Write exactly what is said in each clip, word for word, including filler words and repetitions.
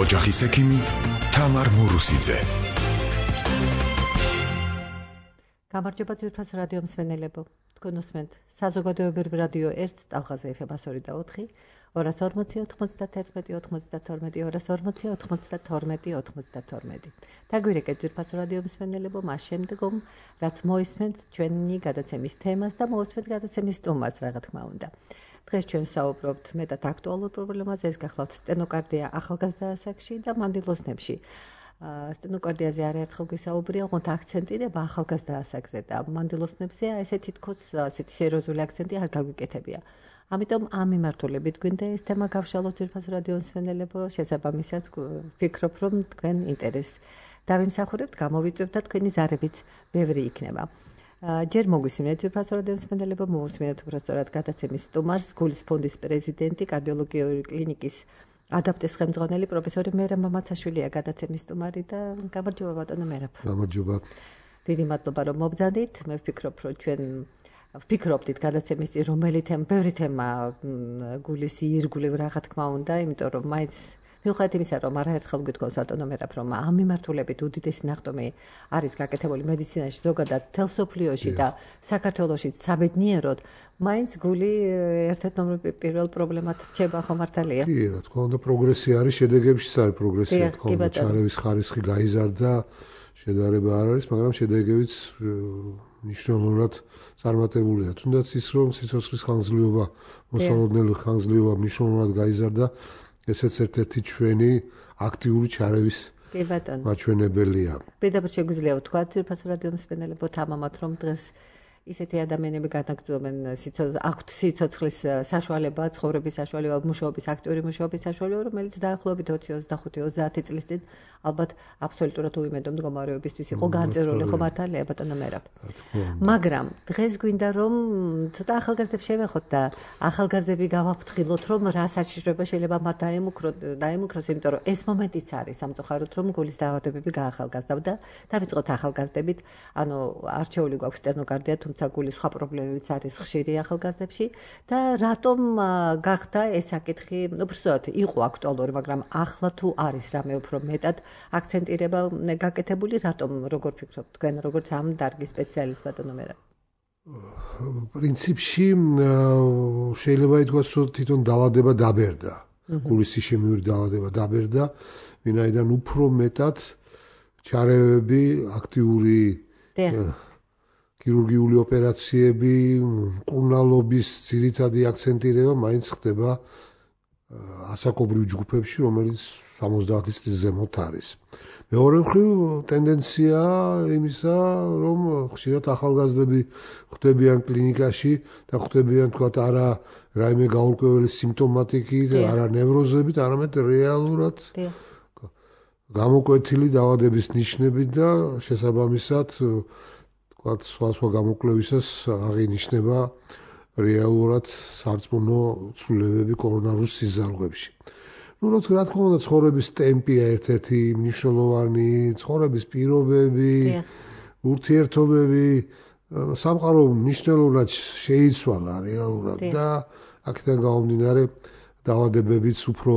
ოჯახის ექიმი თამარ მურუსიძე. გამარჯობა ძვირფას რადიო მსმენელებო. თქვენ უსმენთ საზოგადოებრივ რადიო ერთ ტალღაზე ეფ ემ ასორი და ოთხი, ორას ორმოცი ოთხმოცდათერთმეტი ოცმოცდათორმეტი, ორას ორმოცი ოთხმოცდათორმეტი ოცმოცდათორმეტი. დაგვირეკეთ ძვირფას რადიო მსმენელებო მას შემდგომ, რაც მოისმენთ ჩვენი გადაცემის თემას და მოусმენთ გადაცემის სტუმარს, რა თქმა უნდა. დღეს ჩვენ ვსაუბრობთ მეტად აქტუალურ პრობლემაზე, ეს გახლავთ სტენოკარდია ახალგაზრდა ასაკში და მანდილოსნებში. სტენოკარდიაზე არაერთხელ გვისაუბრია, ოღონდ აქცენტირება ახალგაზრდა ასაკზე და მანდილოსნებზე ესე თითქოს ასეთი სერიოზული აქცენტი არ გაგვიკეთებია. ამიტომ ამ მიმართულებით გვინდა ეს თემა გავშალოთ ძვირფას რადიო მსმენელებო, შესაბამისად ვფიქრობ, რომ თქვენ ინტერესს დავიმსახურებთ, გამოვიწვევთ და თქვენი ზარებიც ბევრი იქნება. ჯერ მოგვისმინეთ ძვირფას რადიო მსმენელებო, მოусმინეთ უბრალოდ გადაცემის სტუმარს, გულის ფონდის პრეზიდენტი, კარდიოლოგიური კლინიკის ადაპტის ხელმძღვანელი პროფესორი მერაბ მამაცაშვილია გადაცემის სტუმარი და გამარჯობა ბატონო მერაბ. გამარჯობა. დიდი მადლობა რომ მობრძანით. მე ვფიქრობ, რომ ჩვენ ვფიქრობდით გადაცემის წინ რომელი თემა, ბევრი თემა გულის ირგვლივ რა თქმა უნდა, იმიტომ რომ მაინც მიუხედავად იმისა, რომ არაერთხელ გითხოვს ბატონო მერაბ, რომ ამ მიმართულებით უდიდესი ნახტომი არის გაკეთებული მედიცინაში, ზოგადად მთელ მსოფლიოში და საქართველოშიც საბედნიეროდ, მაინც გული ერთ-ერთ ნომერ პირველ პრობლემად რჩება, ხო მართალია? კი, რა თქმა უნდა, პროგრესი არის, შედეგებშიც არის პროგრესი, რა თქმა უნდა, ჩარევის ხარისხი გაიზარდა, შედარება არ არის, მაგრამ შედეგებიც მნიშვნელოვნად წარმატებულია. თუნდაც ის, რომ სიცოცხლის ხანგრძლივობა, მოსალოდნელი ხანგრძლივობა მნიშვნელოვნად გაიზარდა, ესეც ერთ-ერთი ჩვენი აქტიური ჩარევის მაჩვენებელია. პირდაპირ შეგვიძლია ვთქვათ, ძვირფას რადიო მსმენელებო, თამამად, რომ დღეს ისეთი ადამიანები განაგრძობენ აქვთ სიცოცხლის საშუალება, ცხოვრების საშუალება, მუშაობის, აქტიური მუშაობის საშუალება, რომელიც დაახლოებით ოცი ოცდახუთი ოცდაათი წლის წინ ალბათ აბსოლუტურად უიმედო მდგომარეობისთვის იყო განწირული, ხო მართალია ბატონო მერაბ. მაგრამ დღეს გვინდა რომ ცოტა ახალგაზრდებს შევეხოთ და ახალგაზრდები გავაფრთხილოთ, რომ რა საშიშროება შეიძლება მათ დაემუქროთ, დაემუქროს, იმიტომ რომ ეს მომენტიც არის სამწუხაროდ, რომ გულის დაავადებები გაახალგაზრდა. დავიწყოთ ახალგაზრდებით, ანუ არჩეული გვაქვს სტენოკარდია, თუმცა გულის სხვა პრობლემებიც არის ხშირი ახალგაზრდებში და რატომ გახდა ეს საკითხი, უბრალოდ იყო აქტუალური, მაგრამ ახლა თუ არის რამე უფრო მეტად აქცენტირება გაკეთებული, რატომ, როგორ ფიქრობთ თქვენ, როგორც ამ დარგის სპეციალისტ ბატონო მერაბ? პრინციპში შეიძლება ითქვას, რომ თვითონ დაავადება დაბერდა. გულის ისემიური დაავადება დაბერდა, ვინაიდან უფრო მეტად ჩარევები, აქტიური ქირურგიული ოპერაციები, მკურნალობის ძირითადი აქცენტირება მაინც ხდება ასაკობრივ ჯგუფებში, რომელიც სამოცდაათი წლის ზემოთ არის. მეორე მხრივ ტენდენცია იმისა, რომ ხშირად ახალგაზრდები ხვდებიან კლინიკაში და ხვდებიან თქვათ არა რაიმე გაურკვეველი სიმპტომატიკი და არა ნევროზებით, არამედ რეალურად გამოკვეთილი დაავადების ნიშნები და შესაბამისად თქვათ სხვა სხვა გამოკვლევისას აღინიშნება რეალურად სარწმუნო ცვლილებები კორონარულ სიზარღვებში. ну რა თქმა უნდა ცხოვრების ტემპია ერთ-ერთი მნიშვნელოვანი, ცხოვრების პირობები, ურთიერთობები სამყარო მნიშვნელოვნად შეიცვალა რეალურად და აქედან გამომდინარე დაავადებებიც უფრო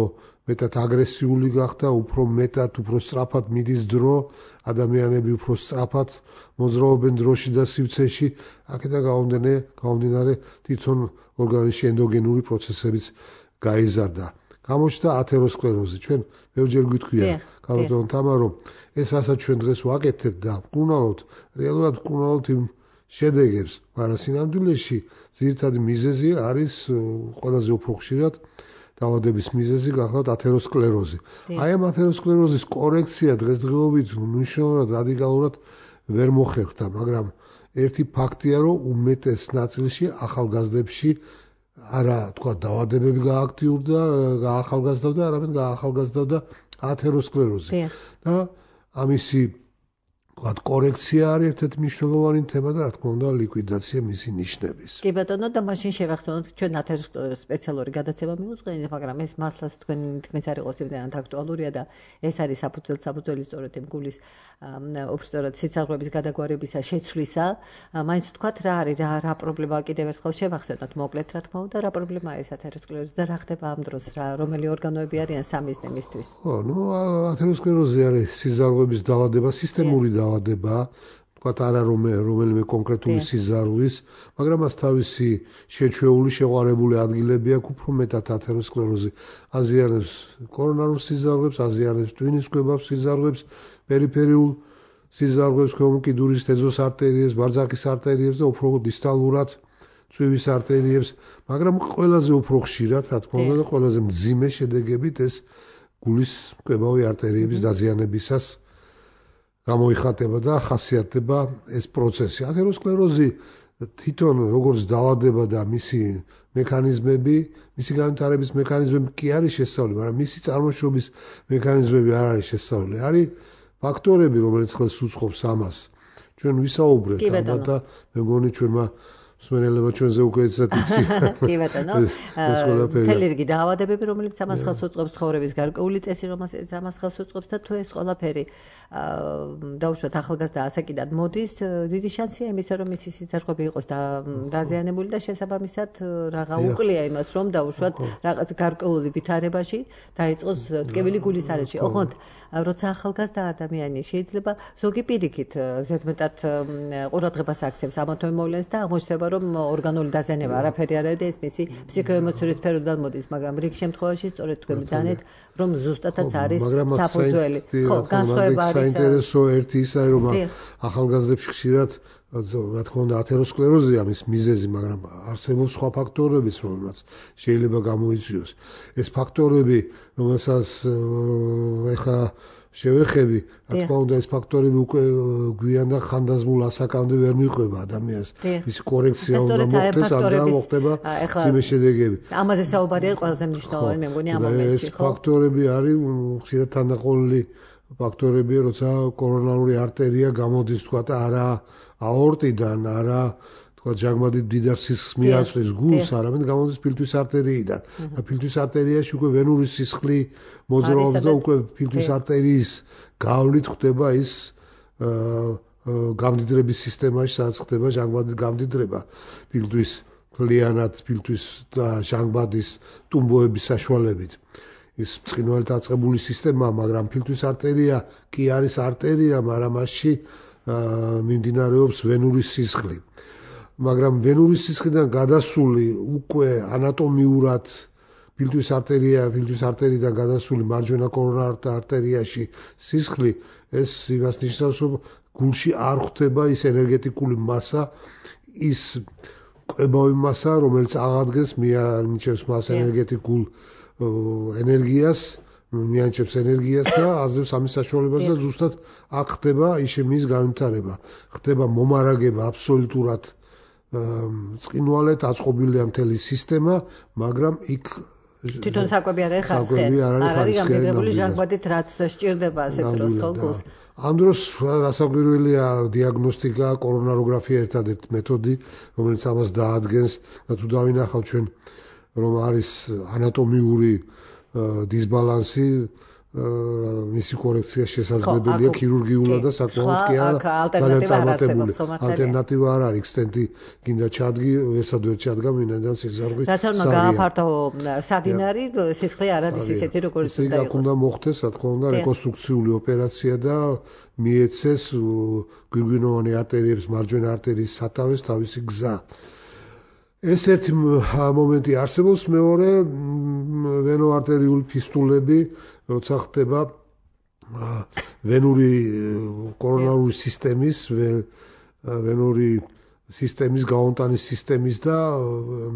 მეტად აგრესიული გახდა, უფრო მეტად, უფრო სწრაფად მიდის დრო, ადამიანები უფრო სწრაფად მოძრაობენ დროში და სივრცეში, აქედან გამომდინარე თვითონ ორგანიზმში ენდოგენური პროცესებიც გაიზარდა. გამოჩნდა ათეროსკლეროზი. ჩვენ ბევრჯერ გვითქვია, ბატონო თამარ, რომ ეს რასაც ჩვენ დღეს ვაკეთებთ და ვკურნალობთ, რეალურად ვკურნალობთ იმ შედეგებს, მაგრამ სინამდვილეში ძირითადი მიზეზი არის ყველაზე უფრო ხშირად დაავადების მიზეზი გახლავთ ათეროსკლეროზი. აი ამ ათეროსკლეროზის კორექცია დღესდღეობით მნიშვნელოვნად რადიკალურად ვერ მოხერხდა, მაგრამ ერთი ფაქტია, რომ უმეტეს ნაწილში ახალგაზრდებში არა თქვა დაავადებები გააქტიურდა, გაახალგაზრდა, არამედ გაახალგაზრდა ათეროსკლეროზი. და ამისი ვთქვათ, კორექცია არის ერთ-ერთი მნიშვნელოვანი თემა და რა თქმა უნდა ლიკვიდაცია მისი ნიშნების. კი ბატონო და მაშინ შევახსენოთ ჩვენ ათეროსკლეროზის სპეციალური გადაცემა მიუძღვენით, მაგრამ ეს მართლაც თქვენ თქმის არ იყოს იმდენად აქტუალურია და ეს არის საფუძველი საფუძველი სწორედ იმ გულის უბრალოდ სიცალღების გადაგვარებისა შეცვლისა. მაინც ვთქვათ რა არის რა რა პრობლემაა კიდევ ერთხელ შევახსენოთ მოკლედ რა თქმა უნდა რა პრობლემაა ეს ათეროსკლეროზი და რა ხდება ამ დროს რა რომელი ორგანოები არიან სამიზნე მისთვის. ხო, ნუ ათეროსკლეროზი არის სიზარღვების დაავადება, სისტემური დაავადება, ვთქვათ არა რომელიმე კონკრეტული სიზარღვის, მაგრამ მას თავისი შეჩვეული შეყვარებული ადგილები აქვს, უფრო მეტად ათეროსკლეროზი აზიანებს კორონარულ სიზარღვებს, აზიანებს ტვინის კვებავს სიზარღვებს, პერიფერიულ სიზარღვებს, ქვემოუკიდურის თეზოს არტერიებს, ბარძაკის არტერიებს და უფრო დისტალურად წვივის არტერიებს, მაგრამ ყველაზე უფრო ხშირად, რა თქმა უნდა, და ყველაზე მძიმე შედეგებით ეს გულის კვებავი არტერიების დაზიანებისას გამოიხატება და ხასიათდება ეს პროცესი. ათეროსკლეროზი თვითონ როგორც დაავადება და მისი მექანიზმები, მისი განვითარების მექანიზმები კი არის შესწავლილი, მაგრამ მისი წარმოშობის მექანიზმები არ არის შესწავლილი. არის ფაქტორები, რომელიც ხელს უწყობს ამას. ჩვენ ვისაუბრეთ ალბათ და მე მგონი ჩვენმა მსმენელებმა ჩვენზე უკვე ეცათ იცი. კი ბატონო. მთელი რიგი დაავადებები, რომელიც ამას ხელს უწყობს, ცხოვრების გარკვეული წესი, რომელიც ამას ხელს უწყობს და თუ ეს ყველაფერი დაუშვათ ახალგაზრდა ასაკიდან მოდის, დიდი შანსია იმისა, რომ მისი სიცარღვები იყოს დაზიანებული და შესაბამისად რაღა უყლია იმას, რომ დაუშვათ რაღაც გარკვეული ვითარებაში დაიწყოს ტკივილი გულის არეში. ოღონდ როცა ახალგაზრდა ადამიანი შეიძლება ზოგი პირიქით ზედმეტად ყურადღებას აქცევს ამა თუ იმ მოვლენას და აღმოჩნდება რომ ორგანული დაზიანება არაფერი არ არის და ეს მისი ფსიქოემოციური სფეროდან მოდის, მაგრამ რიგ შემთხვევაში სწორედ თქვენ ბრძანეთ, რომ ზუსტადაც არის საფუძველი. ხო, განსხვავება არის. საინტერესო ერთი ის არის, რომ ახალგაზრდებში ხშირად რა თქმა უნდა ათეროსკლეროზია მის მიზეზი, მაგრამ არსებობს სხვა ფაქტორებიც, რომელსაც შეიძლება გამოიწვიოს. ეს ფაქტორები, რომელსაც ეხა შევეხები, რა თქმა უნდა ეს ფაქტორები უკვე გვიან და ხანდაზმულ ასაკამდე ვერ მიყვება ადამიანს. ის კორექცია უნდა მოხდეს, ამდა მოხდება ძიმე შედეგები. ამაზე საუბარია ყველაზე მნიშვნელოვანი მე მგონი ამ მომენტში, ხო? ეს ფაქტორები არის ხშირად თანდაყოლილი ფაქტორებია, როცა კორონარული არტერია გამოდის, თქვათ, არა აორტიდან, არა თქვათ ჟანგბადით მდიდარ სისხლს მიაწვდის გულს, არამედ გამოდის ფილტვის არტერიიდან. და ფილტვის არტერიაში უკვე ვენური სისხლი მოძრაობს და უკვე ფილტვის არტერიის გავლით ხდება ის გამდიდრების სისტემაში, სადაც ხდება ჟანგბადის გამდიდრება ფილტვის მთლიანად ფილტვის და ჟანგბადის ტუმბოების საშუალებით. ის ბრწყინვალედ აწყებული სისტემაა, მაგრამ ფილტვის არტერია კი არის არტერია, მაგრამ მასში მიმდინარეობს ვენური სისხლი. მაგრამ ვენური სისხლიდან გადასული უკვე ანატომიურად ფილტვის არტერია, ფილტვის არტერიდან გადასული მარჯვენა კორონარ არტერიაში სისხლი, ეს იმას ნიშნავს, რომ გულში არ ხვდება ის ენერგეტიკული მასა, ის კვებავი მასა, რომელიც აღადგენს მიანიჭებს მას ენერგეტიკულ ენერგიას, მიანიჭებს ენერგიას და აძლევს ამის საშუალებას და ზუსტად აქ ხდება ისემიის განვითარება. ხდება მომარაგება აბსოლუტურად წყინვალედ აწყობილია მთელი სისტემა, მაგრამ იქ თვითონ საკვები არ არის ხარსხი. არ არის გამდიდრებული ჟანგბადით, რაც სჭირდება ასეთ დროს ხოლმე. ამ დროს რასაკვირველია დიაგნოსტიკა, კორონაროგრაფია ერთადერთი მეთოდი, რომელიც ამას დაადგენს და თუ დავინახავთ ჩვენ რომ არის ანატომიური დისბალანსი, მისი კორექცია შესაძლებელია ქირურგიულად და საკმაოდ კი არა წარმატებული. ალტერნატივა არ არის, სტენტი გინდა ჩადგი, ვერსად ვერ ჩადგა მინდან სიზარღვით. რაც არ უნდა გააფართო სადინარი, სისხლი არ არის ისეთი როგორც უნდა იყოს. უნდა მოხდეს, რა თქმა უნდა, რეკონსტრუქციული ოპერაცია და მიეცეს გვირგვინოვანი არტერიების მარჯვენა არტერიის სათავეს თავისი გზა. ეს ერთი მომენტი არსებობს, მეორე ვენოარტერიული ფისტულები, როცა ხდება ვენური კორონარული სისტემის, ვენური სისტემის გაონტანის სისტემის და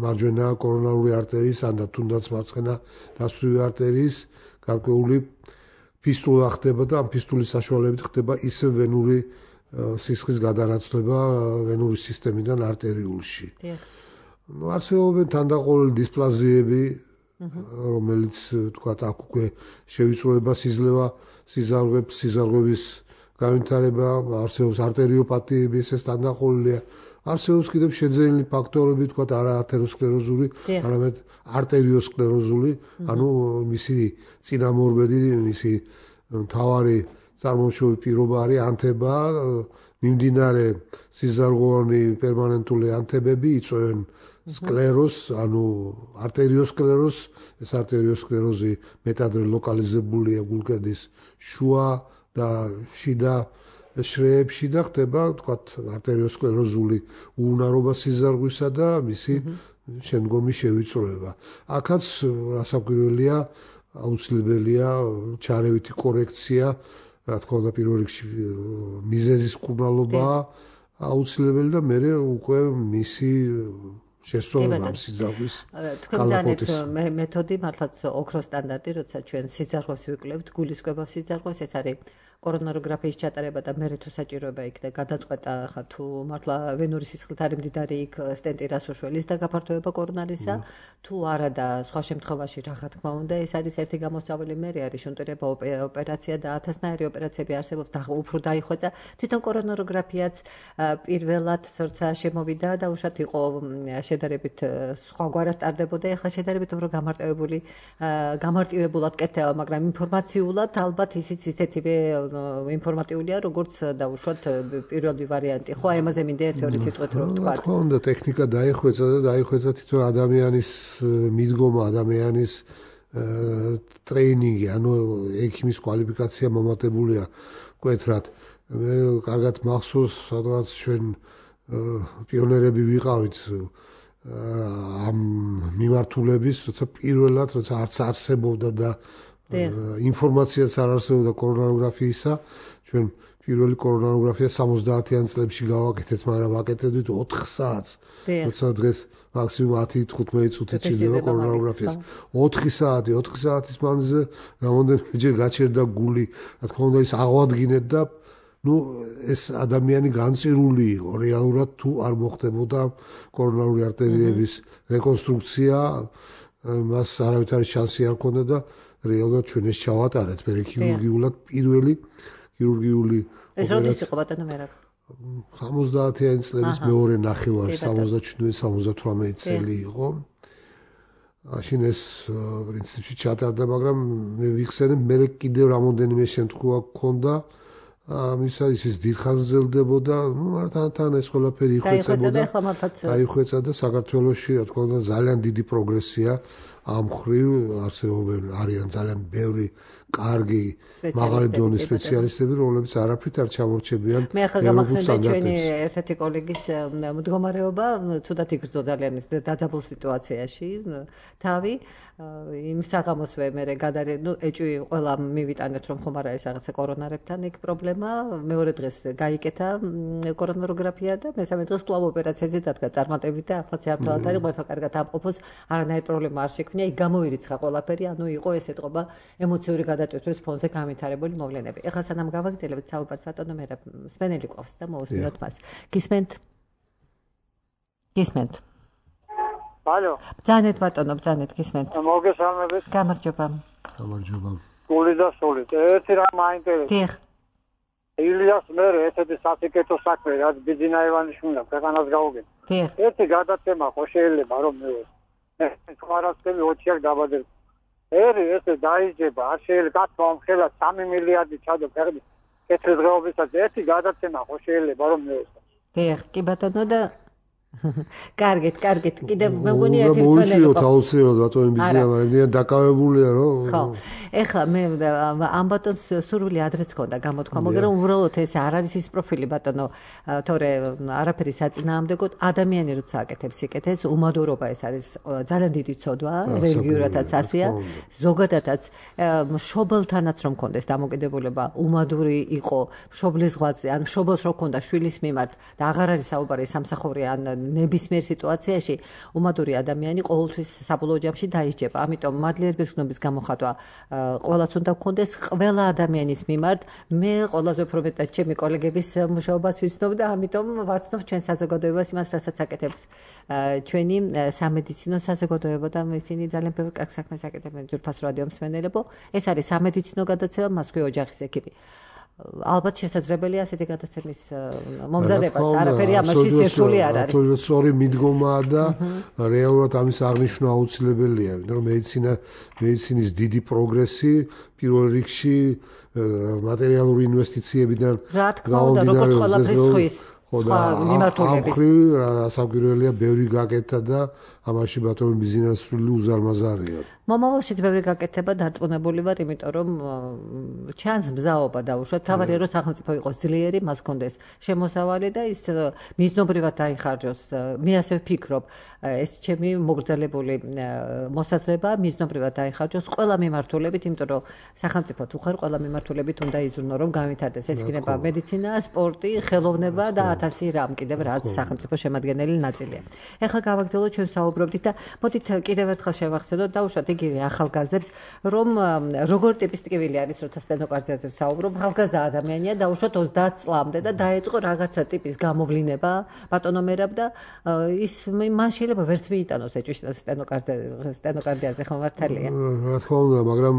მარჯვენა კორონარული არტერიის, ან თუნდაც მარცხენა დასვრივი არტერიის გარკვეული ფისტულა ხდება და ამ ფისტულის საშუალებით ხდება ისე ვენური სისხლის გადანაცვლება ვენური სისტემიდან არტერიულში. არსებობენ თანდაყოლილი დისპლაზიები, რომელიც თქვათ აქ უკვე შევიწროებას იძლევა სიზარღვებს, სიზარღვების განვითარება, არსებობს არტერიოპათიების ეს თანდაყოლილია. არსებობს კიდევ შეძენილი ფაქტორები, თქვა არა ათეროსკლეროზული, არამედ არტერიოსკლეროზული, ანუ მისი წინამორბედი, მისი მთავარი წარმოშობილი პირობა არის ანთება, მიმდინარე სიზარღვოვანი პერმანენტული ანთებები იწვევენ სკლეროზს, ანუ არტერიოსკლეროზს, ეს არტერიოსკლეროზი მეტადრე ლოკალიზებულია გულკედის შუა და შიდა შრეებში და ხდება, თქვათ, არტერიოსკლეროზული უუნარობა სიზარღვისა და მისი შემდგომი შევიწროება. აქაც რასაკვირველია, აუცილებელია ჩარევითი კორექცია, რა თქმა უნდა, პირველ რიგში მიზეზის მკურნალობა აუცილებელი და მეორე უკვე მისი შესწორება სიზარღვის კალაპოტის. თქვენ მეთოდი მართლაც ოქროს სტანდარტი, როცა ჩვენ სიზარღვას ვიკვლევთ, გულისკვება სიზარღვას, ეს არის კორონაროგრაფიის ჩატარება და მერე თუ საჭიროება იქნება გადაწყვეტა ხა თუ მართლა ვენური სისხლით არის მდიდარი იქ სტენტი რასუშველის და გაფართოება კორონარისა თუ არა და სხვა შემთხვევაში რა თქმა უნდა ეს არის ერთი გამოსავალი მერე არის შუნტირება ოპერაცია და ათასნაირი ოპერაციები არსებობს და უფრო დაიხვეწა თვითონ კორონაროგრაფიაც პირველად როცა შემოვიდა და უშუალოდ იყო შედარებით სხვაგვარად ტარდებოდა ეხლა შედარებით უფრო გამარტივებული გამარტივებულად კეთდება მაგრამ ინფორმაციულად ალბათ ისიც ისეთივე ინფორმატიულია როგორც დაუშვათ პირველი ვარიანტი. ხო, ამაზე მინდა ერთი-ორი სიტყვით რომ ვთქვა. რა თქმა უნდა, ტექნიკა დაიხვეწა და დაიხვეწა თვითონ ადამიანის მიდგომა, ადამიანის ტრეინინგი, ანუ ექიმის კვალიფიკაცია მომატებულია მკვეთრად. მე კარგად მახსოვს, სადღაც ჩვენ პიონერები ვიყავით ამ მიმართულების, როცა პირველად, როცა არც არსებობდა და ინფორმაციაც არ არსებობდა კორონაროგრაფიისა, ჩვენ პირველი კორონაროგრაფია სამოცდაათიან წლებში გავაკეთეთ, მაგრამ ვაკეთებდით ოთხ საათს. როცა დღეს მაქსიმუმ ათი თხუთმეტი წუთით შეიძლება კორონაროგრაფიას. ოთხი საათი, ოთხი საათის მანძილზე რამოდენიმეჯერ გაჩერდა გული, რა თქმა უნდა ის აღვადგინეთ და ნუ ეს ადამიანი განწირული იყო რეალურად თუ არ მოხდებოდა კორონარული არტერიების რეკონსტრუქცია, მას არავითარი შანსი არ ჰქონდა და რეალურად ჩვენ ეს ჩავატარეთ მე ქირურგიულად პირველი ქირურგიული ეს როდის იყო ბატონო მერაბ სამოცდაათიანი წლების მეორე ნახევარი სამოცდაჩვიდმეტი სამოცდათვრამეტი წელი იყო მაშინ ეს პრინციპში ჩატარდა მაგრამ მე ვიხსენებ მე კიდევ რამოდენიმე შემთხვევა გქონდა ამისა ის დიდხანს ზელდებოდა ნუ მართლა თან ეს ყველაფერი იხვეწებოდა დაიხვეწა და საქართველოში რა თქმა უნდა ძალიან დიდი პროგრესია ამ ხრივ არსებობენ არიან ძალიან ბევრი კარგი მაღალი დონის სპეციალისტები რომლებიც არაფრით არ ჩამორჩებიან მე ახლა გამახსენდა ჩვენი ერთ-ერთი კოლეგის მდგომარეობა ცუდად იგრძნო ძალიან ის დაძაბულ სიტუაციაში თავი იმ საღამოსვე მე გადარე ნუ ეჭვი ყველა მივიტანეთ რომ ხომ არ არის რაღაცა კორონარებთან იქ პრობლემა მეორე დღეს გაიკეთა კორონაროგრაფია და მესამე დღეს კვლავ ოპერაციაზე დადგა წარმატებით და ახლა ზეაფთალად არის ყველა კარგად ამყოფოს არანაირი პრობლემა არ შექმნია იქ გამოირიცხა ყველაფერი ანუ იყო ეს ეთყობა ემოციური გადატვირთვის ფონზე განვითარებული მოვლენები ეხლა სანამ გავაგრძელებთ საუბარს ბატონო მე სპენელი ყავს და მოусმინოთ მას გისმენთ გისმენთ ალო ბძანეთ ბატონო ბძანეთ გისმენთ მოგესალმებით გამარჯობა გამარჯობა გული და სული ერთი რამ მაინტერესებს დიახ ილიას მერე ესეთი სასიკეთო საქმე რაც ბიძინა ივანიშვილმა ქვეყანას გაუგებდა დიახ ერთი გადაცემა ხო შეიძლება რომ მე თქვარასკელი ოჩიაკ დაბადებ ერი ესე დაიჯება არ შეიძლება კაცო ამ ხელა სამი მილიარდი ჩადო ფერდი კეთილდღეობისას ერთი გადაცემა ხო შეიძლება რომ მე დიახ კი ბატონო და კარგით, კარგით. კიდევ მე მგონი ერთი მსვენელი. მოუწიოთ აუცილებლად ბატონი ბიზნესა, მაგრამ დაკავებულია რომ. ხო. ეხლა მე ამ ბატონს სურვილი ადრეც ქონდა გამოთქვა, მაგრამ უბრალოდ ეს არ არის ის პროფილი ბატონო, თორე არაფერი საწინააღმდეგოდ ადამიანი როცა აკეთებს სიკეთეს, უმადურობა ეს არის ძალიან დიდი ცოდვა, რელიგიურადაც ასეა, ზოგადადაც მშობელთანაც რომ ქონდეს დამოკიდებულება, უმადური იყო მშობლის ზღვაზე, ან მშობელს რო ქონდა შვილის მიმართ და აღარ არის საუბარი სამსახური ან ნებისმიერ სიტუაციაში უმადური ადამიანი ყოველთვის საბოლოო ჯამში დაიჯება. ამიტომ მადლიერების გნობის გამოხატვა ყველას უნდა გქონდეს ყველა ადამიანის მიმართ. მე ყველაზე უფრო მეტად ჩემი კოლეგების მუშაობას ვიცნობ და ამიტომ ვაცნობ ჩვენ საზოგადოებას იმას, რასაც აკეთებს ჩვენი სამედიცინო საზოგადოება და ისინი ძალიან ბევრ კარგ საქმეს აკეთებენ ძვირფას რადიო მსმენელებო. ეს არის სამედიცინო გადაცემა, მას ქვია ოჯახის ეკიპი. ალბათ შესაძლებელია ასეთი გადაცემის მომზადებაც, არაფერი ამაში სირთული არ არის. აბსოლუტურად სწორი მიდგომაა და რეალურად ამის აღნიშვნა აუცილებელია, იმიტომ რომ მედიცინა მედიცინის დიდი პროგრესი პირველ რიგში მატერიალური ინვესტიციებიდან რა თქმა უნდა, როგორც ყველაფრის ხვის სხვა მიმართულების. საგვირველია ბევრი გაკეთა და ამაში ბატონი ბიზნესული უზარმაზარია. მომავალშიც ბევრი გაკეთება დარწმუნებული ვარ, იმიტომ რომ ჩანს მზაობა დაუშვათ. თავარია რომ სახელმწიფო იყოს ძლიერი, მას ჰქონდეს შემოსავალი და ის მიზნობრივად დაიხარჯოს. მე ასე ვფიქრობ, ეს ჩემი მოგრძელებული მოსაზრება მიზნობრივად დაიხარჯოს ყველა მიმართულებით, იმიტომ რომ სახელმწიფო თუ ხარ ყველა მიმართულებით უნდა იზრუნო, რომ გამვითარდეს. ეს იქნება მედიცინა, სპორტი, ხელოვნება და ათასი რამ კიდევ რაც სახელმწიფო შემადგენელი ნაწილია. ეხლა გავაგრძელოთ ჩვენ საუბრობდით და მოდით კიდევ ერთხელ შევახსენოთ დაუშვათ იგივე ახალგაზრდებს, რომ როგორ ტიპის ტკივილი არის, როცა სტენოკარდიაზე ვსაუბრობ, ახალგაზრდა ადამიანია დაუშვათ ოცდაათ წლამდე და დაეწყო რაღაცა ტიპის გამოვლინება ბატონო მერაბ და ის მან შეიძლება ვერც მიიტანოს ეჭვი სტენოკარდიაზე, ხო მართალია? რა თქმა უნდა, მაგრამ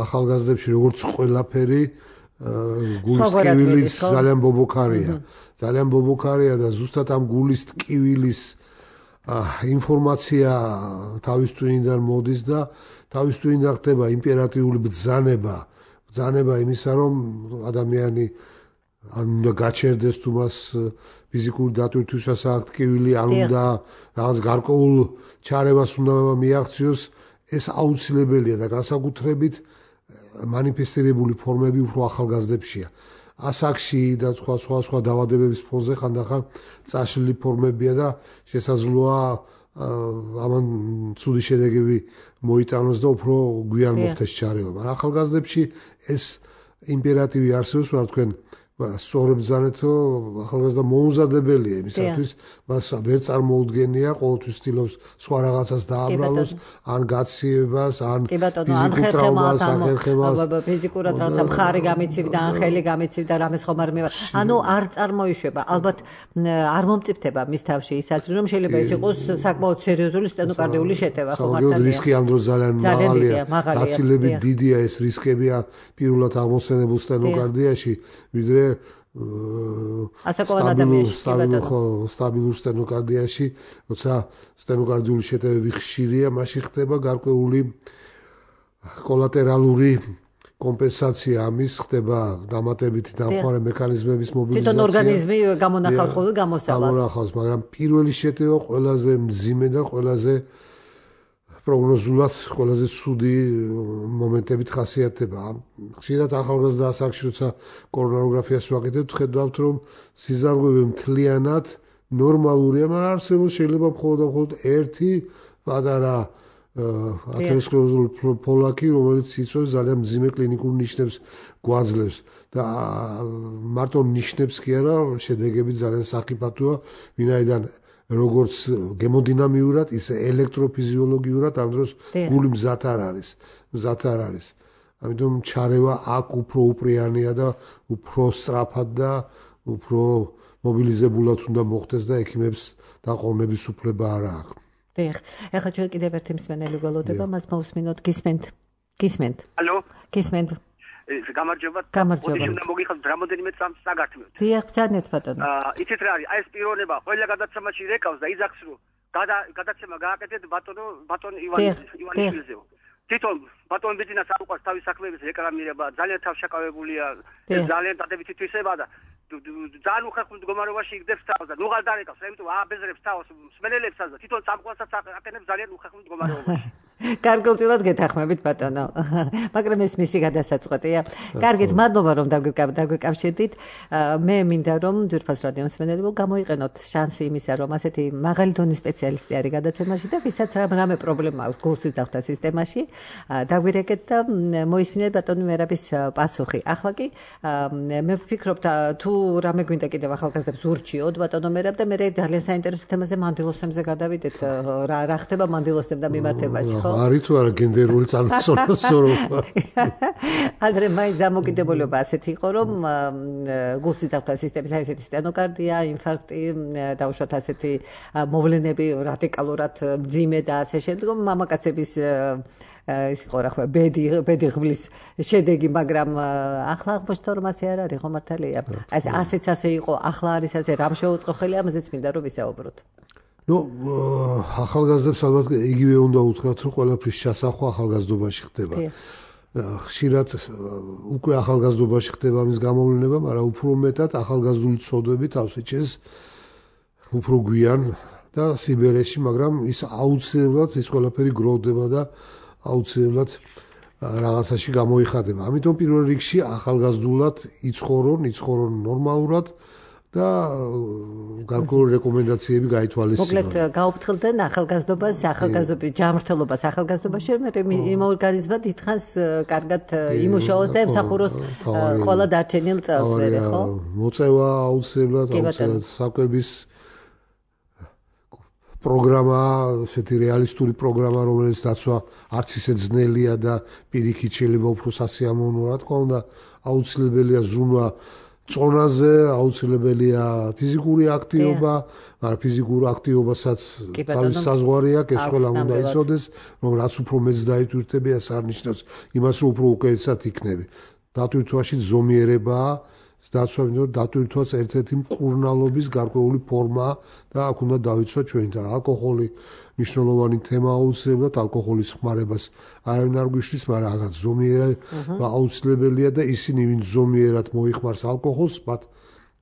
ახალგაზრდებში როგორც ყველაფერი გულის ტკივილის ძალიან ბობოქარია. ძალიან ბობოქარია და ზუსტად ამ გულის ტკივილის ინფორმაცია თავის ტვინიდან მოდის და თავის ტვინიდან ხდება იმპერატიული ბრძანება, ბრძანება იმისა, რომ ადამიანი ან უნდა გაჩერდეს თუ მას ფიზიკური დატვირთვისას აქვს ტკივილი, ან უნდა რაღაც გარკვეულ ჩარევას უნდა მიაღწიოს, ეს აუცილებელია და განსაკუთრებით მანიფესტირებული ფორმები უფრო ახალგაზრდებშია. ასაკში და სხვა სხვა სხვა დაავადებების ფონზე ხანდახან წაშლილი ფორმებია და შესაძლოა ამან ცუდი შედეგები მოიტანოს და უფრო გვიან მოხდეს ჩარევა. მაგრამ ახალგაზრდებში ეს იმპერატივი არსებობს, მაგრამ თქვენ სწორად ბრძანეთ, რომ ახალგაზრდა მოუმზადებელია იმისათვის, მას ვერ წარმოუდგენია, ყოველთვის ცდილობს სხვა რაღაცას დააბრალოს, ან გაციებას, ან ფიზიკურ ტრავმას, ან ფიზიკურად რაღაცა მხარი გამიცივდა, ან ხელი გამიცივდა, რამეს ხომ არ მივარ. ანუ არ წარმოიშვება, ალბათ არ მომწიფდება მის თავში ისაც, რომ შეიძლება ის იყოს საკმაოდ სერიოზული სტენოკარდიული შეტევა, ხო მართალია? რისკი ამ დროს ძალიან მაღალია. გაცილებით დიდია ეს რისკებია პირველად აღმოცენებულ სტენოკარდიაში, ვიდრე ასაკოვან ადამიანში, სტაბილურ სტენოკარდიაში, როცა სტენოკარდიული შეტევები ხშირია, მაშინ ხდება გარკვეული კოლატერალური კომპენსაცია ამის, ხდება დამატებითი დამხმარე მექანიზმების მობილიზაცია. თვითონ ორგანიზმი გამონახავს ხოლმე გამოსავალს. გამონახავს, მაგრამ პირველი შეტევა ყველაზე მძიმე და ყველაზე პროგნოზულად ყველაზე ცუდი მომენტებით ხასიათდება. ხშირად ახალგაზრდა ასაკში, როცა კორონაროგრაფიას ვაკეთებთ, ხედავთ, რომ სიზარღვევი მთლიანად ნორმალურია, მაგრამ არსებობს შეიძლება მხოლოდ და მხოლოდ ერთი პატარა ათეროსკლეროზული ფოლაკი, რომელიც იწვევს ძალიან მძიმე კლინიკურ ნიშნებს გვაძლევს და მარტო ნიშნებს კი არა, შედეგები ძალიან სახიფათოა, ვინაიდან როგორც გემოდინამიურად, ისე ელექტროფიზიოლოგიურად ამ დროს გული მზად არ არის, მზად არ არის. ამიტომ ჩარევა აქ უფრო უპრიანია და უფრო სწრაფად და უფრო მობილიზებულად უნდა მოხდეს და ექიმებს დაყოვნების უფლება არ აქვს. დიახ, ეხლა ჩვენ კიდევ ერთი მსმენელი გველოდება, მას მოусმინოთ, გისმენთ. გისმენთ. ალო? გისმენთ. გამარჯობა. გამარჯობა. უნდა მოგიხსნათ რამოდენიმე წამს საგართმევთ. დიახ, ბრძანეთ ბატონო. აა, იცით რა არის? აი ეს პიროვნება ყველა გადაცემაში რეკავს და იძახს რომ გადაცემა გააკეთეთ ბატონო, ბატონ ივან ივანიშვილზე. თვითონ ბატონ ბიძინას არ უყვარს თავის საქმეების რეკლამირება, ძალიან თავშაკავებულია, ძალიან დადებითი თვისება და ძალიან უხერხულ მდგომარეობაში იგდებს თავს და ნუღარ დარეკავს, ამიტომ ააბეზრებს თავს მსმენელებსაც და თვითონ სამყაროსაც აკეთებს ძალიან უხერხულ მდგომარეობაში. გარკვეულწილად გეთანხმებით ბატონო. მაგრამ ეს მისი გადასაწყვეტია. კარგით, მადლობა რომ დაგვიკავშირდით. მე მინდა რომ ძვირფას რადიო მსმენელებო გამოიყენოთ შანსი იმისა, რომ ასეთი მაღალი დონის სპეციალისტი არის გადაცემაში და ვისაც რამე პრობლემა აქვს გულს იძახდა სისტემაში, დაგვირეკეთ და მოისმინეთ ბატონი მერაბის პასუხი. ახლა კი მე ვფიქრობ თუ რამე გვინდა კიდევ ახალგაზრდებს ურჩიოთ ბატონო მერაბ და მე ძალიან საინტერესო თემაზე მანდილოსებზე გადავიდეთ. რა რა ხდება მანდილოსებთან მიმართებაში, ხო? არის თუ არა გენდერული წარმოსწორება. ადრე მაინც დამოკიდებულება ასეთი იყო, რომ გულსისხლძარღვთა სისტემის აი ესეთი სტენოკარდია, ინფარქტი, დაუშვათ ასეთი მოვლენები რადიკალურად მძიმე და ასე შემდგომ მამაკაცების ის იყო რა ხმა ბედი ბედი ღმლის შედეგი, მაგრამ ახლა აღმოჩნდა რომ ასე არ არის, ხო მართალია? აი ასეც ასე იყო, ახლა არის ასე, რამ შეუწყო ხელი, ამაზეც მინდა რომ ვისაუბროთ. ნუ ახალგაზრდებს ალბათ იგივე უნდა უთხრათ, რომ ყველაფრის ჩასახვა ახალგაზრდობაში ხდება. ხშირად უკვე ახალგაზრდობაში ხდება ამის გამოვლენა, მაგრამ უფრო მეტად ახალგაზრდული ცოდვები თავს ეჭეს უფრო გვიან და სიბერეში, მაგრამ ის აუცილებლად ის ყველაფერი გროვდება და აუცილებლად რაღაცაში გამოიხადება. ამიტომ პირველ რიგში ახალგაზრდულად იცხოვრონ, იცხოვრონ ნორმალურად და გარკვეული რეკომენდაციები გაითვალისწინონ. მოკლედ გაუფრთხილდნენ ახალგაზრდობას, ახალგაზრდობის ჯანმრთელობას ახალგაზრდობაში, მე იმ ორგანიზმმა დიდხანს კარგად იმუშაოს და ემსახუროს ყველა დარჩენილ წელს, მე ხო? მოწევა აუცილებლად, აუცილებლად საკვების პროგრამა, ესეთი რეალისტური პროგრამა, რომელიც დაცვა არც ისე ძნელია და პირიქით შეიძლება უფრო სასიამოვნოა, რა თქმა უნდა, აუცილებელია ზრუნვა წონაზე, აუცილებელია ფიზიკური აქტივობა, მაგრამ ფიზიკურ აქტივობასაც თავის საზღვარი აქვს, ეს ყველა უნდა იცოდეს, რომ რაც უფრო მეც დაიტვირთები, ეს არ ნიშნავს იმას, რომ უფრო უკეთესად იქნები. დატვირთვაში ზომიერებაა, დაცვა, იმიტომ რომ დატვირთვაც ერთ-ერთი მკურნალობის გარკვეული ფორმაა და აქ უნდა დავიცვათ ჩვენ და ალკოჰოლი მნიშვნელოვანი თემაა, აუცილებლად ალკოჰოლის ხმარებას არავინ არ გვიშლის, მაგრამ რაღაც ზომიერება აუცილებელია და ისინი, ვინც ზომიერად მოიხმარს ალკოჰოლს, მათ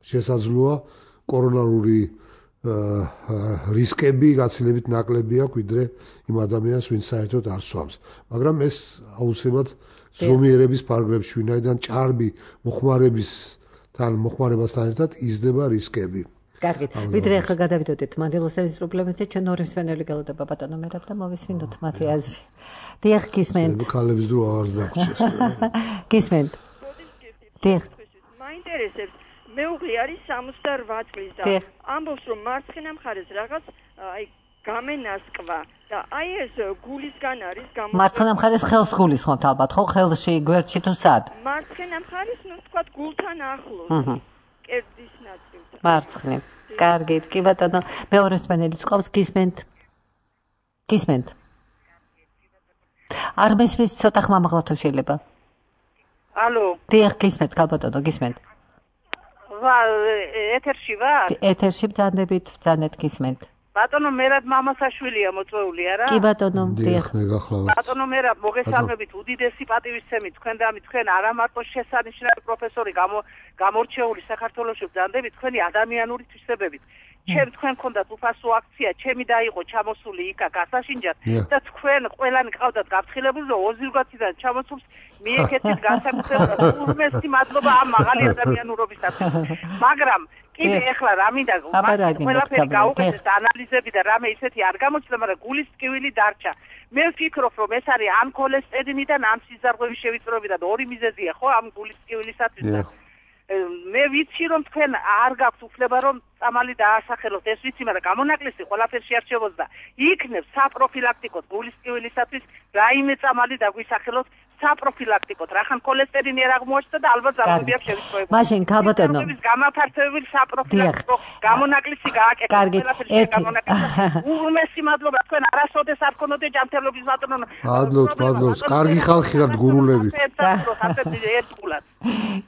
შესაძლოა კორონარული რისკები გაცილებით ნაკლები აქვს, ვიდრე იმ ადამიანს, ვინც საერთოდ არ სვამს. მაგრამ ეს აუცილებლად ზომიერების ფარგლებში, ვინაიდან ჭარბი მოხმარების თან მოხმარებასთან ერთად იზრდება რისკები. კარგი, ვიდრე ახლა გადავიდოდეთ მანდილოსების პრობლემებზე, ჩვენ ორი მსვენელი გელოდება ბატონო მერაბ და მოვისმინოთ მათი აზრი. დიახ, გისმენთ. ქალების დრო აღარ დაგჭირს. გისმენთ. დიახ. მაინტერესებს, მეუღლე არის სამოცდაოთხ წლის და ამბობს, რომ მარცხენა მხარეს რაღაც აი გამენასკვა და აი ეს გულისგან არის გამო მარცხენა მხარეს ხელს გულისხმობთ ალბათ, ხო? ხელში, გვერდში თუ სად? მარცხენა მხარეს, ну, თქვა გულთან ახლოს. კერძის ნაწილთან. მარცხნი. კარგით, კი ბატონო, მეორე მსმენელიც ყავს, გისმენთ. გისმენთ. არ მესმის, ცოტა ხმამაღლა თუ შეიძლება. ალო. დიახ, გისმენთ, კალბატონო, გისმენთ. ვა, ეთერში ვარ? ეთერში ბრძანდებით, ბრძანეთ გისმენთ. ბატონო მერაბ მამასაშვილია მოწვეული არა? კი ბატონო, დიახ, მეგახლავართ. ბატონო მერაბ მოგესალმებით, უდიდესი პატივისცემით თქვენ და ამით თქვენ არა მარტო შესანიშნავი პროფესორი გამორჩეული საქართველოში ბრძანდებით თქვენი ადამიანური თვისებებით. ჩემ თქვენ გქონდათ უფასო აქცია, ჩემი დაიყო ჩამოსული იქა გასაშინჯად და თქვენ ყველანი ყავდათ გაფრთხილებული და ოზირგვაციდან ჩამოსულს მიეკეთეთ განსაკუთრებულად უმეტესი მადლობა ამ მაღალი ადამიანურობისათვის. მაგრამ კიდე ეხლა რა მინდა ყველაფერი გაუკეთეს ანალიზები და რამე ისეთი არ გამოჩნდა, მაგრამ გულის ტკივილი დარჩა. მე ვფიქრობ, რომ ეს არის ამ ქოლესტერინიდან, ამ სიზარღვევის შევიწროებიდან ორი მიზეზია, ხო, ამ გულის ტკივილისათვის და მე ვიცი, რომ თქვენ არ გაქვთ უფლება, რომ წამალი დაასახელოთ, ეს ვიცი, მაგრამ გამონაკლისი ყველაფერში არ შევოძდა. იქნებ საპროფილაქტიკოდ გულის ტკივილისათვის რაიმე წამალი დაგვისახელოთ საპროფილაქტიკოდ, რახან ქოლესტერინი არ აღმოაჩნდა და ალბათ ზარმები აქვს შევიწროებული. მაშინ ქალბატონო, გამაფართოებული საპროფილაქტიკო გამონაკლისი გააკეთეთ. კარგი, ერთი უმეტესი მადლობა, თქვენ არასოდეს არ გქონოდე ჯანმრთელობის ბატონო. მადლობთ, მადლობთ. კარგი ხალხი ხართ გურულები.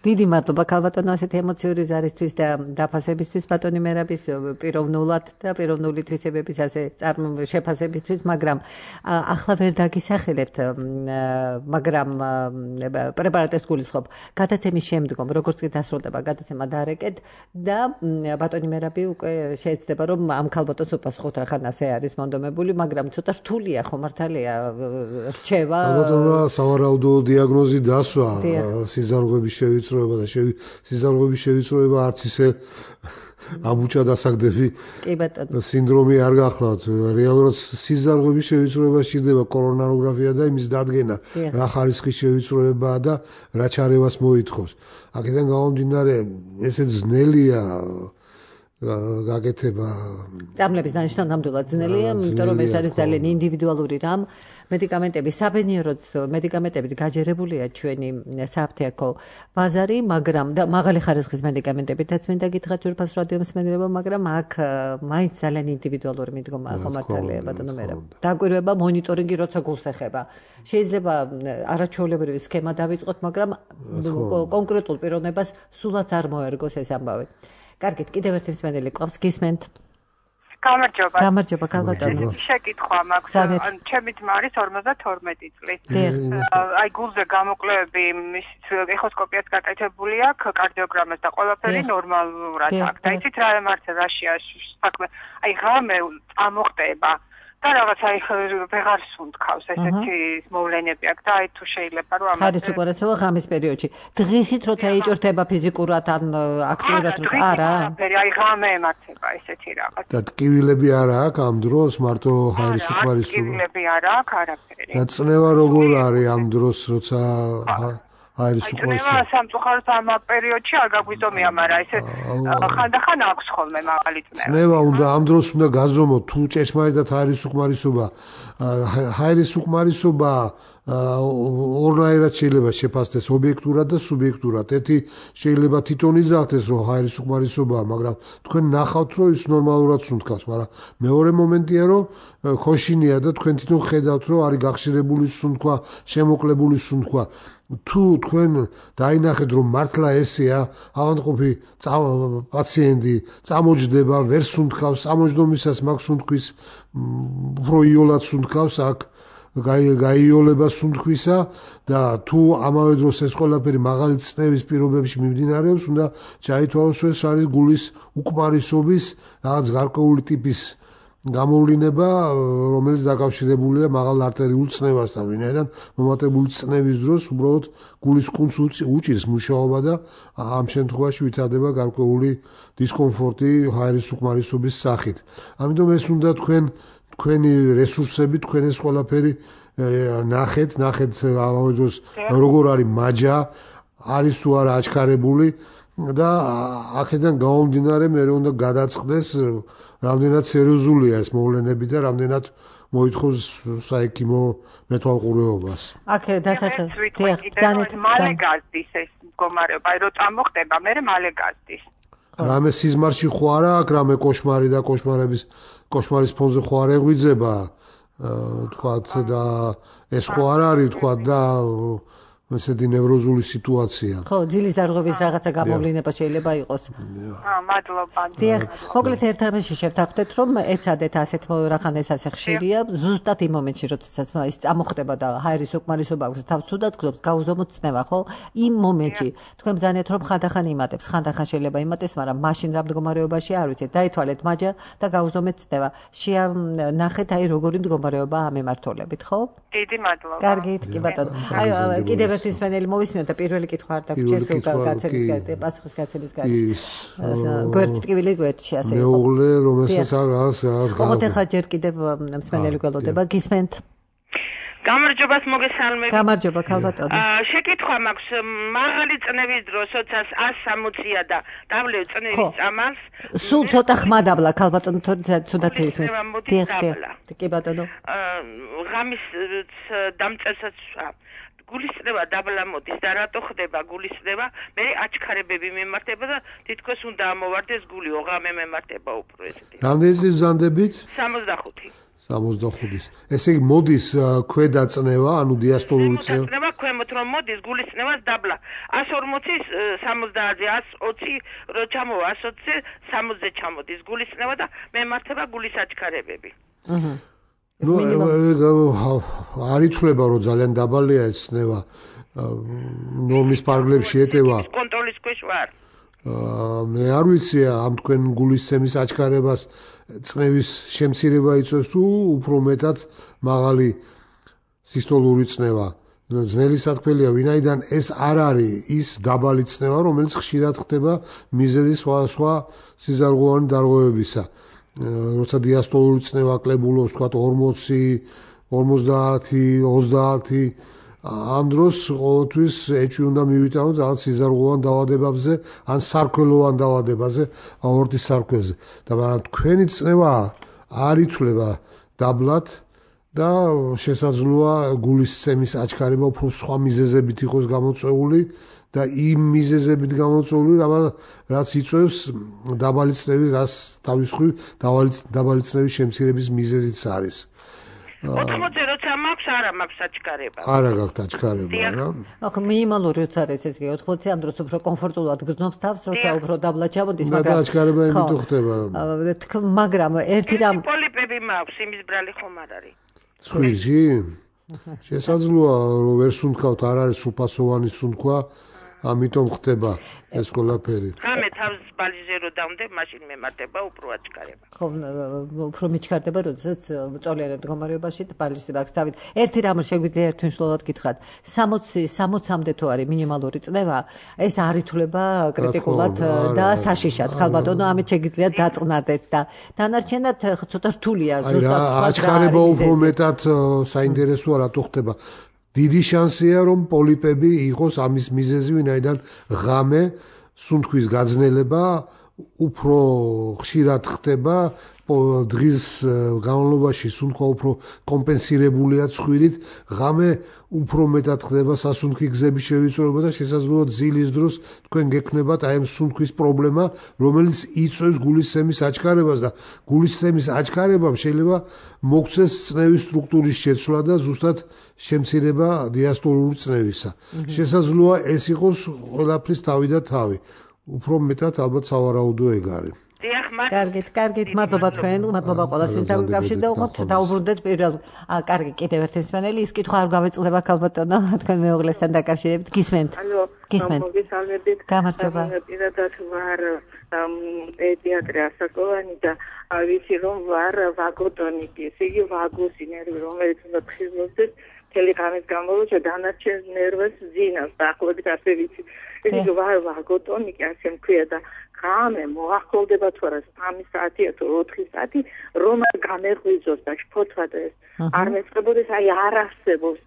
დიდი მადლობა ქალბატონო ასეთი ემოციური ზარისთვის და დაფასებისთვის ბატონი მერაბის პიროვნულად და პიროვნული თვისებების ასე შეფასებისთვის, მაგრამ ახლა ვერ დაგისახელებთ, მაგრამ პრეპარატებს გულისხმობ. გადაცემის შემდგომ, როგორც კი დასრულდება გადაცემა დარეკეთ და ბატონი მერაბი უკვე შეეცდება, რომ ამ ქალბატონს უპასუხოთ, რახან ასე არის მონდომებული, მაგრამ ცოტა რთულია, ხო მართალია რჩევა. ბატონო, სავარაუდო დიაგნოზი დასვა, სიზარღვების შევიწროება და სიზარღვების შევიწროება არც ისე ამუჭა დასაგდები სინდრომი არ გახლავთ. რეალურად სიზარღვების შევიწროება სჭირდება კორონაროგრაფია და იმის დადგენა, რა ხარისხის შევიწროებაა და რა ჩარევას მოითხოვს. აქედან გამომდინარე, ესე ძნელია გაკეთება წამლების დანიშნა ნამდვილად ძნელია, იმიტომ რომ ეს არის ძალიან ინდივიდუალური რამ. მედიკამენტები საბედნიეროდ მედიკამენტებით გაჯერებულია ჩვენი საფთეაქო ბაზარი, მაგრამ და მაღალი ხარისხის მედიკამენტებითაც მინდა გითხრათ ძვირფას რადიო მსმენელებო, მაგრამ აქ მაინც ძალიან ინდივიდუალური მიდგომაა ხომართალია ბატონო მერაბ. დაკვირვება მონიტორინგი როცა გულს ეხება. შეიძლება არაჩვეულებრივი სქემა დავიწყოთ, მაგრამ კონკრეტულ პიროვნებას სულაც არ მოერგოს ეს ამბავი. კარგით, კიდევ ერთი მსმენელი ყავს, გისმენთ. გამარჯობა. გამარჯობა, ქალბატონო. შეკითხვა მაქვს. ჩემი ძმა არის ორმოცდათორმეტი წლის. აი გულზე გამოკვლევები, მის ეხოსკოპიაც გაკეთებული აქვს, კარდიოგრამას და ყველაფერი ნორმალურად აქვს. და იცით რა ემართება რაშია საქმე? აი ღამე წამოხდება და რაღაც აი ვეღარ სუნთქავს ესეთი მოვლენები აქვს და აი თუ შეიძლება რომ ამას არის უყურესობა ღამის პერიოდში. დღისით როცა იჭრდება ფიზიკურად ან აქტიურად რო არა? აი ღამე ემართება ესეთი რაღაც. და ტკივილები არა აქვს ამ დროს მარტო ჰაერის უკმარისობა. ტკივილები არა აქვს არაფერი. და წნევა როგორ არის ამ დროს როცა ჰაერის უკმარისობა? წნევა სამწუხაროდ ამ პერიოდში არ გაგვიზომია, მაგრამ ესე ხანდახან აქვს ხოლმე მაღალი წნევა. წნევა უნდა ამ დროს უნდა გაზომოთ თუ ჭესმარიტად ჰაერის უკმარისობა. ჰაერის უკმარისობა ორნაირად შეიძლება შეფასდეს, ობიექტურად და სუბიექტურად. ერთი შეიძლება თვითონ იზახდეს, რომ ჰაერის უკმარისობაა, მაგრამ თქვენ ნახავთ, რომ ის ნორმალურად სუნთქავს, მაგრამ მეორე მომენტია, რომ ხოშინია და თქვენ თვითონ ხედავთ, რომ არის გახშირებული სუნთქვა, შემოკლებული სუნთქვა. თუ თქვენ დაინახეთ, რომ მართლა ესეა, ავადმყოფი პაციენტი წამოჯდება, ვერ სუნთქავს, წამოჯდომისას მაგ სუნთქვის უფრო იოლად სუნთქავს, აქ გაიოლება სუნთქვისა და თუ ამავე დროს ეს ყველაფერი მაღალი წნევის პირობებში მიმდინარეობს, უნდა ჩაითვალოს, რომ ეს არის გულის უკმარისობის რაღაც გარკვეული ტიპის გამოვლინება, რომელიც დაკავშირებულია მაღალ არტერიულ წნევასთან, ვინაიდან მომატებული წნევის დროს უბრალოდ გულის კუნთს უჭირს მუშაობა და ამ შემთხვევაში ვითარდება გარკვეული დისკომფორტი ჰაერის უკმარისობის სახით. ამიტომ ეს უნდა თქვენ თქვენი რესურსები, თქვენ ეს ყველაფერი ნახეთ, ნახეთ ამავე დროს როგორ არის მაჯა, არის თუ არა აჩქარებული და აქედან გამომდინარე მე უნდა გადაწყდეს რამდენად სერიოზულია ეს მოვლენები და რამდენად მოითხოვს საექიმო მეთვალყურეობას. აქ დასახელდა ძალიან მალე გაზდის ეს მდგომარეობა, აი რომ წამოხდება, მე მალე გაზდის. რამე სიზმარში ხო არა აქ რამე კოშმარი და კოშმარების კოშმარის ფონზე ხო არ ეღვიძება თქვათ და ეს ხო არ არის თქვათ და ესეთი ნევროზული სიტუაცია. ხო, ძილის დარღვევის რაღაცა გამოვლინება შეიძლება იყოს. აა, მადლობა. დიახ, მოკლედ ერთ რამეში შევთანხმდეთ, რომ ეცადეთ ასეთ რახან ეს ასე ხშირია, ზუსტად იმ მომენტში, როდესაც ის წამოხდება და ჰაერის უკმარისობა აქვს, თავს ცუდად გზობს, გაუზომოთ წნევა, ხო? იმ მომენტში თქვენ ბრძანეთ, რომ ხანდახან იმატებს, ხანდახან შეიძლება იმატებს, მაგრამ მაშინ რა მდგომარეობაში არ ვიცით, დაითვალეთ მაჯა და გაუზომეთ წნევა. შეანახეთ აი როგორი მდგომარეობაა ამ ემართოლებით, ხო? დიდი მადლობა. კარგით, კი ბატონო. აი, კიდევ ერთი მსმენელი მოვისმინოთ და პირველი კითხვა არ დაგვრჩეს გაცემის პასუხის გაცემის გარშე. გვერდ ტკივილი გვერდში ასე იყო. მეუღლე, რომელსაც რაღაც რაღაც გაიგო. ოღონდ ახლა ჯერ კიდევ მსმენელი გველოდება, გისმენთ? გამარჯობას მოგესალმებით. გამარჯობა, ქალბატონო. შეკითხვა მაქვს, მაღალი წნევის დროს, როდესაც ასი სამოცია და დავლევ წნევის წამალს. სულ ცოტა ხმა დაბლა, ქალბატონო, თორე ცუდად ისმის. დიახ, კი ბატონო. ღამის დამწევსაც გულის წნევა დაბლა მოდის და რატო ხდება გულის წნევა? მე აჩქარებები მემართება და თითქოს უნდა ამოვარდეს გული, ოღამე მემართება უფრო ესეთი. რამდენი წლის ზანდებით? სამოცდახუთი. სამოცდახუთის. ესე იგი მოდის ქვედა წნევა, ანუ დიასტოლური წნევა. წნევა ქვემოთ რომ მოდის გულის წნევას დაბლა. ასი ორმოცის სამოცდაათზე ასი ოცი რო ჩამოვა ასი ოცზე სამოცზე ჩამოდის გულის წნევა და მემართება გულის აჩქარებები. აჰა. ნუ არ იცვლება რომ ძალიან დაბალია ეს წნევა. ნორმის პარგლებში ეტევა. კონტროლის ქვეშ ვარ. მე არ ვიცი ამ თქვენ გულისცემის აჩქარებას წნევის შემცირება იწვევს თუ უფრო მეტად მაღალი სისტოლური წნევა. ძნელი სათქმელია, ვინაიდან ეს არ არის ის დაბალი წნევა, რომელიც ხშირად ხდება მიზეზი სხვა სხვა სიზარღვოვანი დარღვევებისა. როცა დიასტოლური წნევა კლებულობს, თქვათ ორმოცი, ორმოცდაათი, ოცდაათი, ამ დროს ყოველთვის ეჭვი უნდა მივიტანოთ რაღაც სიზარღვოვან დაავადებებზე ან სარქველოვან დაავადებაზე, აორტის სარქველზე. და მაგრამ თქვენი წნევა არ ითვლება დაბლად და შესაძლოა გულისცემის აჩქარება უფრო სხვა მიზეზებით იყოს გამოწვეული და იმ მიზეზებით გამოწვეული, რაც იწვევს დაბალი წნევის, რაც თავის მხრივ დაბალი წნევის შემცირების მიზეზიც არის. ოთხმოცი როცა მაქვს, არა მაქვს აჩქარება. არა გაქვთ აჩქარება, რა. ახლა მინიმალური როცა არის ეს კი ოთხმოცი ამ დროს უფრო კომფორტულად გრძნობს თავს, როცა უფრო დაბლად ჩამოდის, მაგრამ აჩქარება იმით ხდება. მაგრამ ერთი რამ პოლიპები მაქვს, იმის ბრალი ხომ არ არის. ცხვირი? შესაძლოა რომ ვერ სუნთქავთ, არ არის სულფასოვანი სუნთქვა, ამიტომ ხდება ეს ყველაფერი. რამე თავს ბალიზე რო დავდებ, მაშინ მემატება უფრო აჩქარება. ხო, უფრო მიჩქარდება, როდესაც მწოლიარე მდგომარეობაში და ბალიზე აქვს დავით. ერთი რამ შეგვიძლია ერთმნიშვნელად გითხრათ. სამოცი სამოცამდე თუ არის მინიმალური წნევა, ეს არ ითვლება კრიტიკულად და საშიშად. ხალბატონო, ამით შეგიძლიათ დაწყნარდეთ და დანარჩენად ცოტა რთულია ზუსტად. აჩქარება უფრო მეტად საინტერესოა რატო ხდება. დიდი შანსია რომ პოლიპები იყოს ამის მიზეზი, ვინაიდან ღამე სუნთქვის გაძნელება უფრო ხშირად ხდება, დღის განმავლობაში სუნთქვა უფრო კომპენსირებულია ცხვირით, ღამე უფრო მეტად ხდება სასუნთქი გზების შევიწროება და შესაძლოა ძილის დროს თქვენ გექნებათ აი ამ სუნთქვის პრობლემა, რომელიც იწვევს გულისცემის აჩქარებას და გულისცემის აჩქარებამ შეიძლება მოგცეს წნევის სტრუქტურის შეცვლა და ზუსტად შემცირება დიასტოლური წნევისა. შესაძლოა ეს იყოს ყველაფრის თავი და თავი. უფრო მეტად ალბათ სავარაუდო ეგ არის. კარგით, კარგით, მადლობა თქვენ, მადლობა ყველას, ვინც დაგვიკავშირდა, უყოთ დაუბრუნდეთ პირველ, აა, კარგი, კიდევ ერთი მსმენელი, ის კითხვა არ გავეწყდება ქალბატონო, თქვენ მეუღლესთან დაკავშირებით, გისმენთ. ალო, გისმენთ. მოგესალმებით. გამარჯობა. პირადად ვარ პედიატრი ასაკოვანი და ვიცი რომ ვარ ვაგოტონიკი, ესე იგი ვაგუსი ნერვი, რომელიც უნდა ფხიზლობდეს მთელი ღამის განმავლობაში დანარჩენ ნერვებს ზინავს, დაახლოებით ასე ვიცი. ესე იგი ვარ ვაგოტონიკი, ასე მქვია და ღამე მოახოლდება თუ არა სამი საათია თუ ოთხი საათი რომ არ გამეღვიძოს და შფოთვა და ეს არ მეწყებოდეს, აი არ არსებობს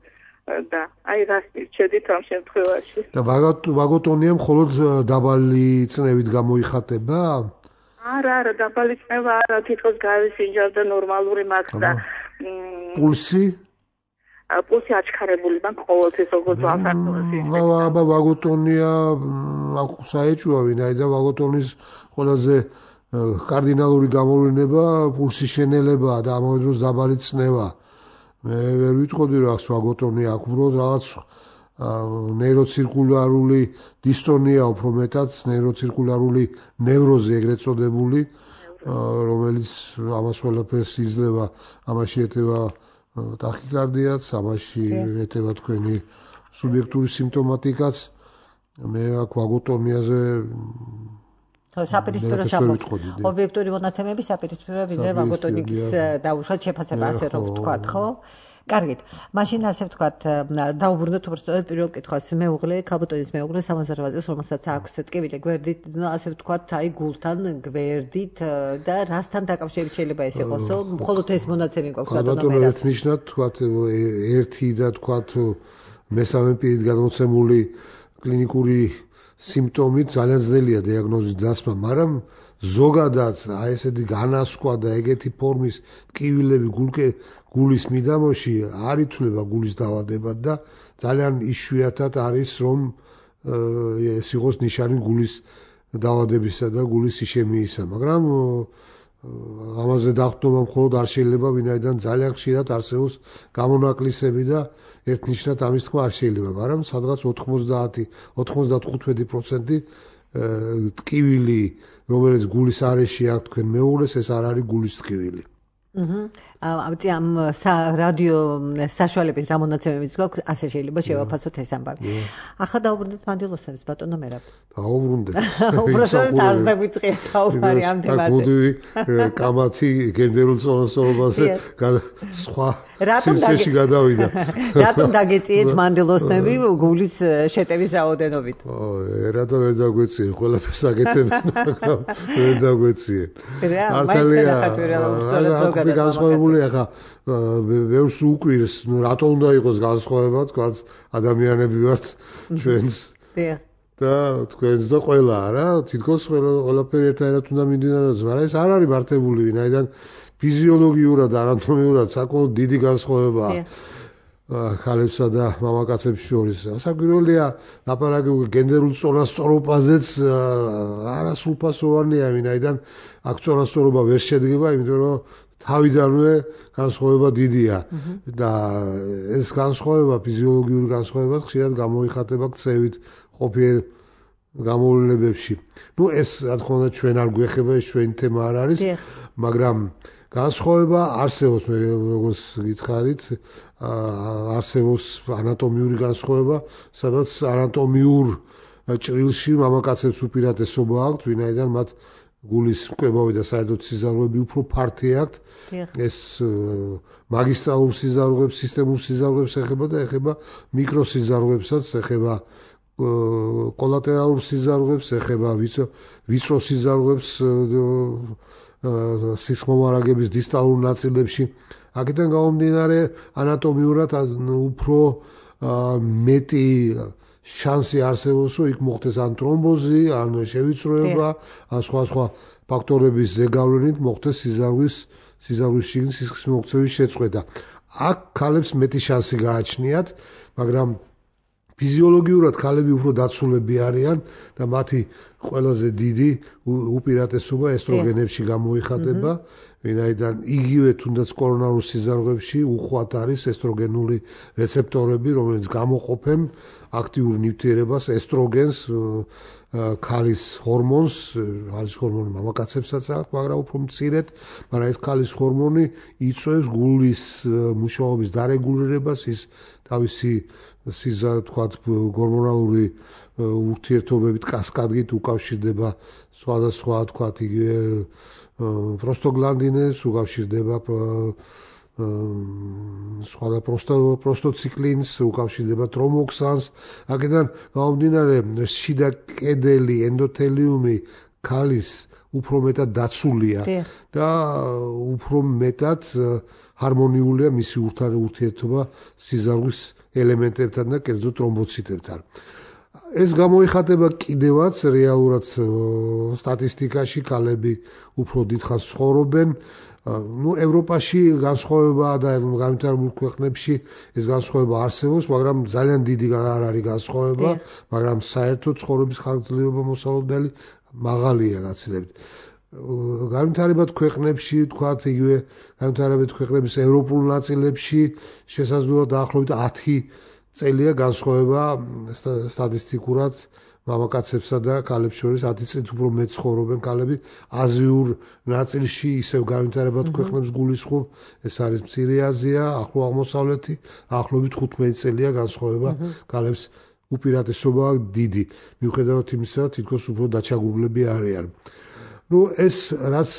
და აი რას მირჩევით ამ შემთხვევაში. და ვაგოტონია მხოლოდ დაბალი წნევით გამოიხატება? არა, არა, დაბალი წნევა არა, თითქოს გავისინჯავ და ნორმალური მაქვს და პულსი? პულსი აჩქარებული მაქვს ყოველთვის როგორც ვაფართოვდი. აბა ვაგოტონია საეჭვოა, ვინაიდან ვაგოტონის ყველაზე კარდინალური გამოვლინება პულსის შენელებაა და ამავე დროს დაბალი წნევა. მე ვერ ვიტყოდი რომ აქვს ვაგოტონია, აქვს უბრალოდ რაღაც ნეიროცირკულარული დისტონია, უფრო მეტად ნეიროცირკულარული ნევროზი ეგრეთ წოდებული, რომელიც ამას ყველაფერს იძლევა, ამაში ეტევა ტახიკარდიაც, ამაში ეტევა თქვენი სუბიექტური სიმპტომატიკაც. მე აქ ვაგოტონიაზე საპირისპირო სამოხ ობიექტური მონაცემები საპირისპირო ვიდრე ვაგოტონიკის დაუშვათ შეფასება, ასე რომ ვთქვათ, ხო? კარგით. მაშინ ასე ვთქვათ, დაუბრუნდეთ უბრალოდ პირველ კითხვას. მეუღლე, ქალბატონის მეუღლე სამოცდაოთხ წელს, რომელსაც აქვს ტკივილი გვერდით, ასე ვთქვათ, აი გულთან, გვერდით და რასთან დაკავშირებით შეიძლება ეს იყოსო? მხოლოდ ეს მონაცემი გვაქვს ბატონო მე. ბატონო, ნიშნად ვთქვათ, ერთი და ვთქვათ, მესამე პირით გადმოცემული კლინიკური სიმპტომით ძალიან ძნელია დიაგნოზის დასმა, მაგრამ ზოგადად აი ესეთი განასკვა და ეგეთი ფორმის ტკივილები გულკე გულის მიდამოში არ ითვლება გულის დაავადებად და ძალიან იშვიათად არის რომ ეს იყოს ნიშანი გულის დაავადებისა და გულის ისემიისა, მაგრამ ამაზე დაყრდნობა მხოლოდ არ შეიძლება, ვინაიდან ძალიან ხშირად არსებობს გამონაკლისები და ერთნიშნად ამის თქმა არ შეიძლება, მაგრამ სადღაც ოთხმოცდაათი ოცდათხუთმეტი პროცენტი ტკივილი, რომელიც გულის არეში აქვს თქვენ მეუღლეს, ეს არ არის გულის ტკივილი. აჰა. ამ რადიო საშუალებით რა მონაცემებიც გვაქვს, ასე შეიძლება შევაფასოთ ეს ამბავი. ახლა დაუბრუნდეთ მანდილოსებს, ბატონო მერაბ. დაუბრუნდეთ. უბრალოდ არც დაგვიწყია საუბარი ამ თემაზე. მოდი კამათი გენდერულ წონასწორობაზე სხვა სივრცეში გადავიდა. რატომ დაგეწიეთ მანდილოსნები გულის შეტევის რაოდენობით? რა და ვერ დაგვეწიე, ყველაფერს აკეთებენ, მაგრამ ვერ დაგვეწიე. რა, მაინც გადახართ ვერ ალბათ ზოგადად. ხალხი განსხვავებული ახლა ბევრს უკვირს, ნუ რატო უნდა იყოს განსხვავება, თქვა ადამიანები ვართ ჩვენს. დიახ. და თქვენს და ყველა რა, თითქოს ყველაფერი ერთადერთად უნდა მიმდინარეობს, მაგრამ ეს არ არის მართებული, ვინაიდან ფიზიოლოგიურად, ანატომიურად საკმაოდ დიდი განსხვავებაა. ხალებსა და მამაკაცებს შორის. საგვირელია ლაპარაკი გენდერულ წონასწორობაზეც არასრულფასოვანია, ვინაიდან აქ წონასწორობა ვერ შედგება, იმიტომ რომ თავიდანვე განსხვავება დიდია და ეს განსხვავება, ფიზიოლოგიური განსხვავება ხშირად გამოიხატება ქცევით ყოფიერ გამოვლენებებში. ნუ ეს რა თქმა უნდა ჩვენ არ გვეხება, ეს ჩვენი თემა არ არის, მაგრამ განსხვავება არსებობს, როგორც გითხარით, არსებობს ანატომიური განსხვავება, სადაც ანატომიურ ჭრილში მამაკაცებს უპირატესობა აქვთ, ვინაიდან მათ გულის მკვებავი და საერთოდ სიზარღვები უფრო ფართი აქვთ. ეს მაგისტრალურ სიზარღვებს, სისტემურ სიზარღვებს ეხება და ეხება მიკროსიზარღვებსაც, ეხება კოლატერალურ სიზარღვებს, ეხება ვიწრო სიზარღვებს სისხლომარაგების დისტალურ ნაწილებში. აქედან გამომდინარე ანატომიურად უფრო მეტი შანსი არსებობს, რომ იქ მოხდეს ან ტრომბოზი, ან შევიწროება, ან სხვა სხვა ფაქტორების ზეგავლენით მოხდეს სიზარღვის სიზარღვის შიგნით სისხლის მოქცევის შეწყვეტა. აქ ქალებს მეტი შანსი გააჩნიათ, მაგრამ ფიზიოლოგიურად ქალები უფრო დაცულები არიან და მათი ყველაზე დიდი უპირატესობა ესტროგენებში გამოიხატება, ვინაიდან იგივე თუნდაც კორონარულ სიზარღვებში უხვად არის ესტროგენული რეცეპტორები, რომელიც გამოყოფენ აქტიურ ნივთიერებას ესტროგენს, ქალის ჰორმონს, ქალის ჰორმონი მამაკაცებსაც აქვს, მაგრამ უფრო მცირედ, მაგრამ ეს ქალის ჰორმონი იწვევს გულის მუშაობის დარეგულირებას, ის თავისი სიზა თქვა გორმონალური ურთიერთობებით კასკადით უკავშირდება სხვადასხვა თქვა იგივე პროსტოგლანდინებს, უკავშირდება სხვა და პროსტოციკლინს, უკავშირდება ტრომოქსანს. აქედან გამომდინარე შიდა კედელი ენდოთელიუმი ქალის უფრო მეტად დაცულია და უფრო მეტად ჰარმონიულია მისი ურთიერთობა სიზარღვის ელემენტებთან და კერძოდ ტრომბოციტებთან. ეს გამოიხატება კიდევაც რეალურად სტატისტიკაში, ქალები უფრო დიდხანს ცხოვრობენ. ნუ ევროპაში განსხვავება და განვითარებულ ქვეყნებში ეს განსხვავება არსებობს, მაგრამ ძალიან დიდი არ არის განსხვავება, მაგრამ საერთოდ ცხოვრების ხანგრძლივობა მოსალოდნელი მაღალია გაცილებით. განვითარებად ქვეყნებში, თქვათ იგივე განვითარებად ქვეყნების ევროპულ ნაწილებში შესაძლოა დაახლოებით ათი წელია განსხვავება სტატისტიკურად მამაკაცებსა და ქალებს შორის ათი წლით უფრო მეტ ცხოვრობენ ქალები. აზიურ ნაწილში ისევ განვითარებად ქვეყნებს გულისხმობ, ეს არის მცირე აზია, ახლო აღმოსავლეთი, ახლობით თხუთმეტი წელია განსხვავება ქალებს უპირატესობა დიდი. მიუხედავად იმისა, თითქოს უფრო დაჩაგურულები არიან. ნუ ეს რაც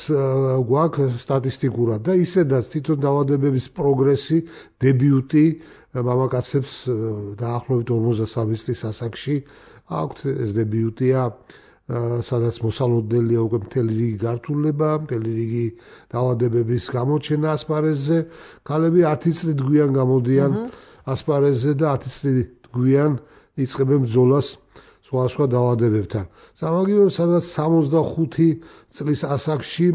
გვაქვს სტატისტიკურად და ისედაც თვითონ დაავადებების პროგრესი, დებიუტი მამაკაცებს დაახლოებით ორმოცდასამი წლის ასაკში აქვთ, ეს დებიუტია, სადაც მოსალოდნელია უკვე მთელი რიგი გართულება, მთელი რიგი დაავადებების გამოჩენა ასპარეზზე. ქალები ათი წლით გვიან გამოდიან ასპარეზზე და ათი წლით გვიან იწყებენ ბრძოლას სხვა სხვა დაავადებებთან. სამაგიეროდ სადაც სამოცდახუთი წლის ასაკში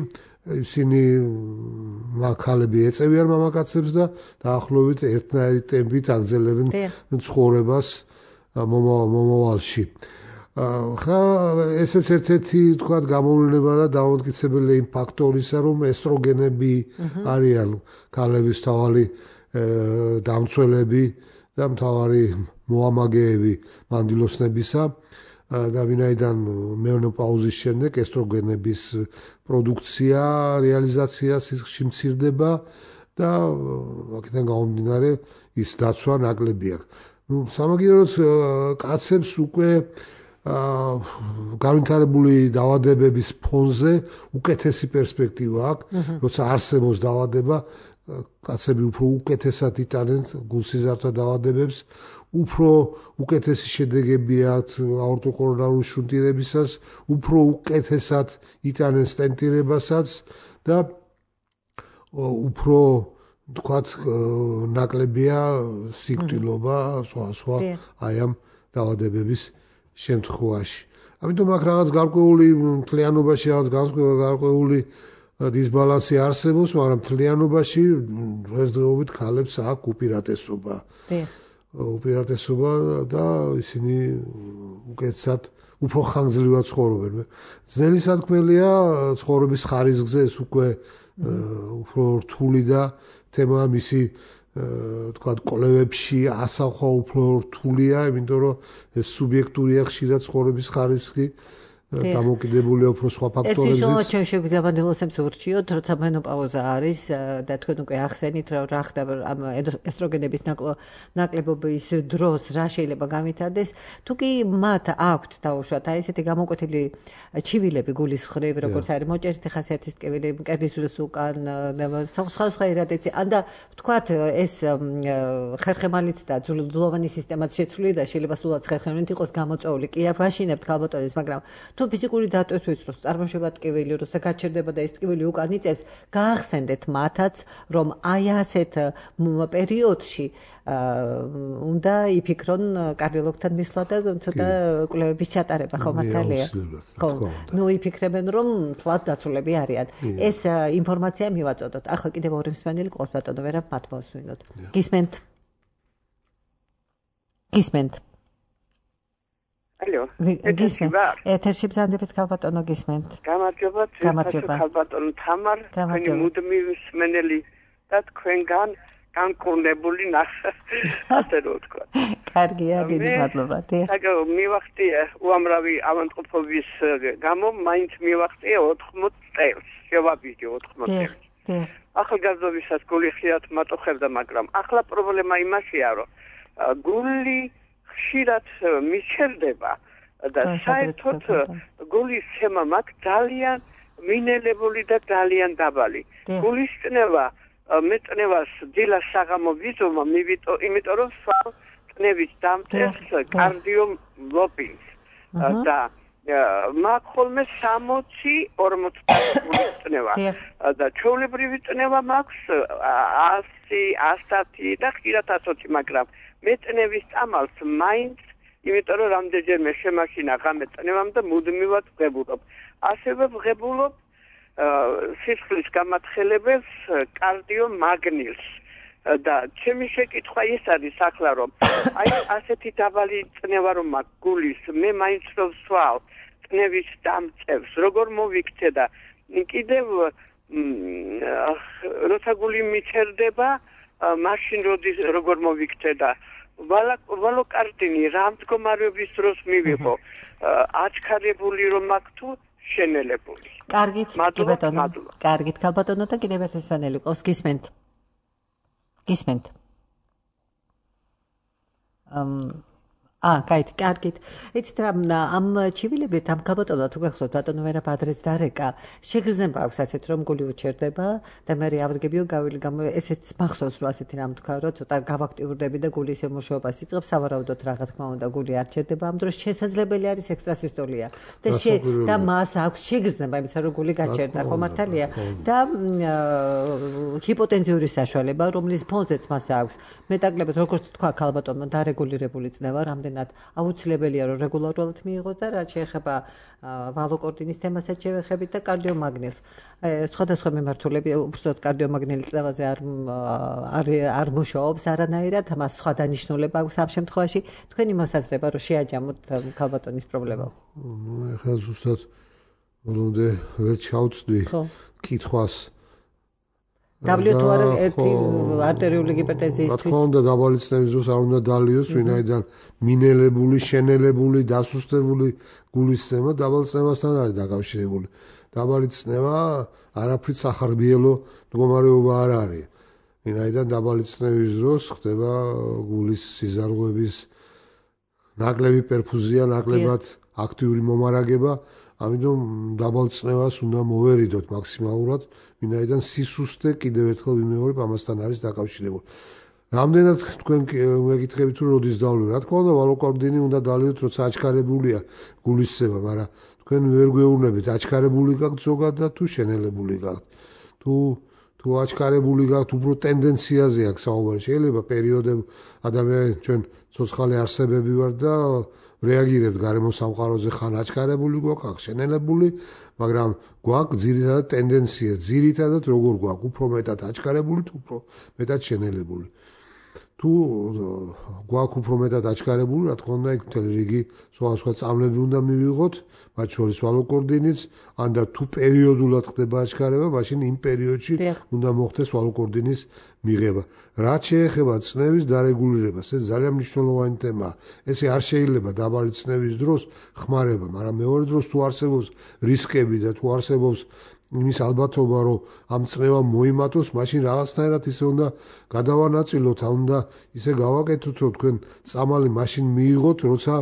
ისინი ქალები ეწევიან მამაკაცებს და დაახლოებით ერთნაირი ტემპით აგრძელებენ ცხოვრებას მომავალში. ხა ესეც ერთ-ერთი თქვათ გამოვლენა და დამოუკიდებელი იმ ფაქტორისა, რომ ესტროგენები არიან ქალების თავი დამცველები და მთავარი მოამაგეები მანდილოსნებისა და ვინაიდან მენოპაუზის შემდეგ ესტროგენების პროდუქცია, რეალიზაცია სისხლში მცირდება და აქედან გამომდინარე ის დაცვა ნაკლები აქვს. ნუ სამაგიეროდ კაცებს უკვე განვითარებული დაავადებების ფონზე უკეთესი პერსპექტივა აქვს, როცა არსებობს დაავადება, კაცები უფრო უკეთესად იტანენ გულსიზართა დაავადებებს, უფრო უკეთესი შედეგები აქვს აორტოკორონარული შუნტირებისას, უფრო უკეთესად იტანენ სტენტირებასაც და უფრო თქვათ ნაკლებია სიკვდილობა სხვა სხვა აი ამ დაავადებების შემთხვევაში. ამიტომ აქ რაღაც გარკვეული მთლიანობაში რაღაც გარკვეული დისბალანსი არსებობს, მაგრამ მთლიანობაში დღესდღეობით ქალებს აქვს უპირატესობა. უპირატესობა და ისინი უკეთესად უფრო ხანგრძლივად ცხოვრობენ. ძნელი სათქმელია ცხოვრების ხარისხზე ეს უკვე უფრო რთული და თემა მისი თქვა კოლევებში ასახვა უფრო რთულია, იმიტომ რომ ეს სუბიექტურია ხშირად ცხოვრების ხარისხი დამოკიდებულია უფრო სხვა ფაქტორებზე. ერთი ჩვენ შეგვიძლია მანდილოსებს ურჩიოთ, როცა მენოპაუზა არის და თქვენ უკვე ახსენით, რომ რა ხდება ამ ესტროგენების ნაკლებობის დროს რა შეიძლება გამითარდეს. თუ კი მათ აქვთ დაუშვათ აი ესეთი გამოკვეთილი ჩივილები გულის მხრივ, როგორც არის მოჭერითი ხასიათის ტკივილი, მკერდის უკან, სხვა სხვა ირადიცი, ანდა ვთქვათ ეს ხერხემალიც და ძვლოვანი სისტემაც შეცვლილი და შეიძლება სულაც ხერხემალით იყოს გამოწვეული. კი არ ვაშინებთ ქალბატონებს, მაგრამ თუ ფიზიკური დატვირთვის დროს წარმოშობა ტკივილი, როცა გაჩერდება და ეს ტკივილი უკან იწევს, გაახსენდეთ მათაც, რომ აი ასეთ პერიოდში უნდა იფიქრონ კარდიოლოგთან მისვლა და ცოტა კვლევების ჩატარება, ხო მართალია? ხო. ნუ იფიქრებენ, რომ თლად დაცულები არიან. ეს ინფორმაცია მივაწოდოთ. ახლა კიდევ ორი მსმენელი ყავს ბატონო, ვერა მათ მოსვინოთ. გისმენთ? გისმენთ? ალო, გისმენთ. ეთერში ბრძანდებით ქალბატონო გისმენთ. გამარჯობა, გამარჯობა. ქალბატონო თამარ, თქვენი მუდმივი მსმენელი და თქვენგან განკურნებული ნახე. ასე რომ ვთქვა. კარგია, დიდი მადლობა. აგო მივახტია უამრავი ავადმყოფობის გამო, მაინც მივახტია ოთხმოც წელს. შევაბიჯე ოთხმოც წელს. ახალგაზრდობისას გული ხშირად მატოხებდა, მაგრამ ახლა პრობლემა იმაშია, რომ გული ხშირად მიჩერდება და საერთოდ გულის ცემა მაქვს ძალიან მინელებული და ძალიან დაბალი. გულის წნევა მეტნევას დილას საღამო ვიზომა მივიტო, იმიტომ რომ სვავ წნევის დამწევს კარდიომიოპატიას და მაქვს ხოლმე სამოცი ორმოცდაათ გულის წნევა და ჩვეულებრივი წნევა მაქვს ასი, ასათი და ხშირად ათოცი, მაგრამ მეტნევის წამალს მაინც, იმიტომ რომ რამდენჯერმე შემაშინა ღამე წნევამ და მუდმივად ვღებულობ. ასევე ვღებულობ სისხლის გამათხელებელს კარდიომაგნილს და ჩემი შეკითხვა ის არის ახლა, რომ აი ასეთი დაბალი წნევა რომ მაქვს გულის, მე მაინც რომ ვსვავ წნევის დამწევს, როგორ მოვიქცე და კიდევ როცა გული მიჩერდება, მაშინ როდის როგორ მოვიქცე და ვალოკარტინი რა მდგომარეობის დროს მივიღო, აჩქარებული რომ მაქვს თუ შენელებული. კარგით, კი ბატონო. კარგით, ქალბატონო და კიდევ ერთი მსმენელი ყავს, გისმენთ? გისმენთ? ამ აა, კაი, კარგით. იცით რა, ამ ჩივილებით ამ ქალბატონო თუ გახსოვთ ბატონო ვერა ბადრეც დარეკა, შეგრძნება აქვს ასეთ რომ გული უჩერდება და მე ავდგებიო გავილი გამო ესეც მახსოვს რომ ასეთი რამ თქვა რომ ცოტა გავაქტიურდები და გულის ემუშაობას იწყებს, სავარაუდოდ რა თქმა უნდა გული არ ჩერდება, ამ დროს შესაძლებელი არის ექსტრასისტოლია და და მას აქვს შეგრძნება იმისა რომ გული გაჩერდა, ხო მართალია? და ჰიპოტენზიური საშუალება, რომლის ფონზეც მას აქვს მეტაკლებად, როგორც თქვა ქალბატონმა, დარეგულირებული წნევა, რამდენი აუცილებელია რომ რეგულარულად მიიღოს და რაც შეეხება ვალოკორტინის თემასაც შევეხებით და კარდიომაგნილს. სხვადასხვა მიმართულები უბრალოდ კარდიომაგნილის წნევაზე არ არ მუშაობს არანაირად, მას სხვა დანიშნულება აქვს ამ შემთხვევაში. თქვენი მოსაზრება რომ შეაჯამოთ ქალბატონის პრობლემა. ნუ ეხლა ზუსტად ბოლომდე ვერ ჩავწვდი კითხვას. დაბლიუ თუ არა ერთი არტერიული ჰიპერტენზიისთვის. რა თქმა უნდა, დაბალი წნევის დროს არ უნდა დალიოს, ვინაიდან მინელებული, შენელებული, დასუსტებული გულის ცემა დაბალ წნევასთან არის დაკავშირებული. დაბალი წნევა არაფრით სახარბიელო მდგომარეობა არ არის. ვინაიდან დაბალი წნევის დროს ხდება გულის სიზარღვების ნაკლები პერფუზია, ნაკლებად აქტიური მომარაგება, ამიტომ დაბალ წნევას უნდა მოვერიდოთ მაქსიმალურად, ვინაიდან სისუსტე კიდევ ერთხელ ვიმეორებ ამასთან არის დაკავშირებული. რამდენად თქვენ მეკითხებით თუ როდის დავლევ? რა თქმა უნდა, ვალოკორტინი უნდა დალიოთ, როცა აჩქარებულია გულის ცემა, მაგრამ თქვენ ვერ გვეუბნებით, აჩქარებული გაქვთ ზოგადად თუ შენელებული გაქვთ. თუ თუ აჩქარებული გაქვთ უფრო ტენდენციაზე აქვს საუბარი შეიძლება პერიოდები ადამიანი ჩვენ ცოცხალი არსებები ვარ და რეაგირებთ გარემო სამყაროზე ხან აჩქარებული გვაქვს ხან შენელებული მაგრამ გვაქვს ძირითადად ტენდენცია ძირითადად როგორ გვაქვს უფრო მეტად აჩქარებული თუ უფრო მეტად შენელებული თუ გვაქვს უფრო მეტად აჩქარებული რა თქმა უნდა იქ მთელი რიგი სხვადასხვა წამლები უნდა მივიღოთ მათ შორის ვალოკორდინიც ან და თუ პერიოდულად ხდება აჩქარება მაშინ იმ პერიოდში უნდა მოხდეს ვალოკორდინის მიღება რაც შეეხება წნევის დარეგულირებას ეს ძალიან მნიშვნელოვანი თემაა ესე არ შეიძლება დაბალი წნევის დროს ხმარება მაგრამ მეორე დროს თუ არსებობს რისკები და თუ არსებობს იმის ალბათობა რომ ამ წნევამ მოიმატოს მაშინ რაღაცნაირად ისე უნდა გადავანაწილოთ ან უნდა ისე გავაკეთოთ რომ თქვენ წამალი მაშინ მიიღოთ როცა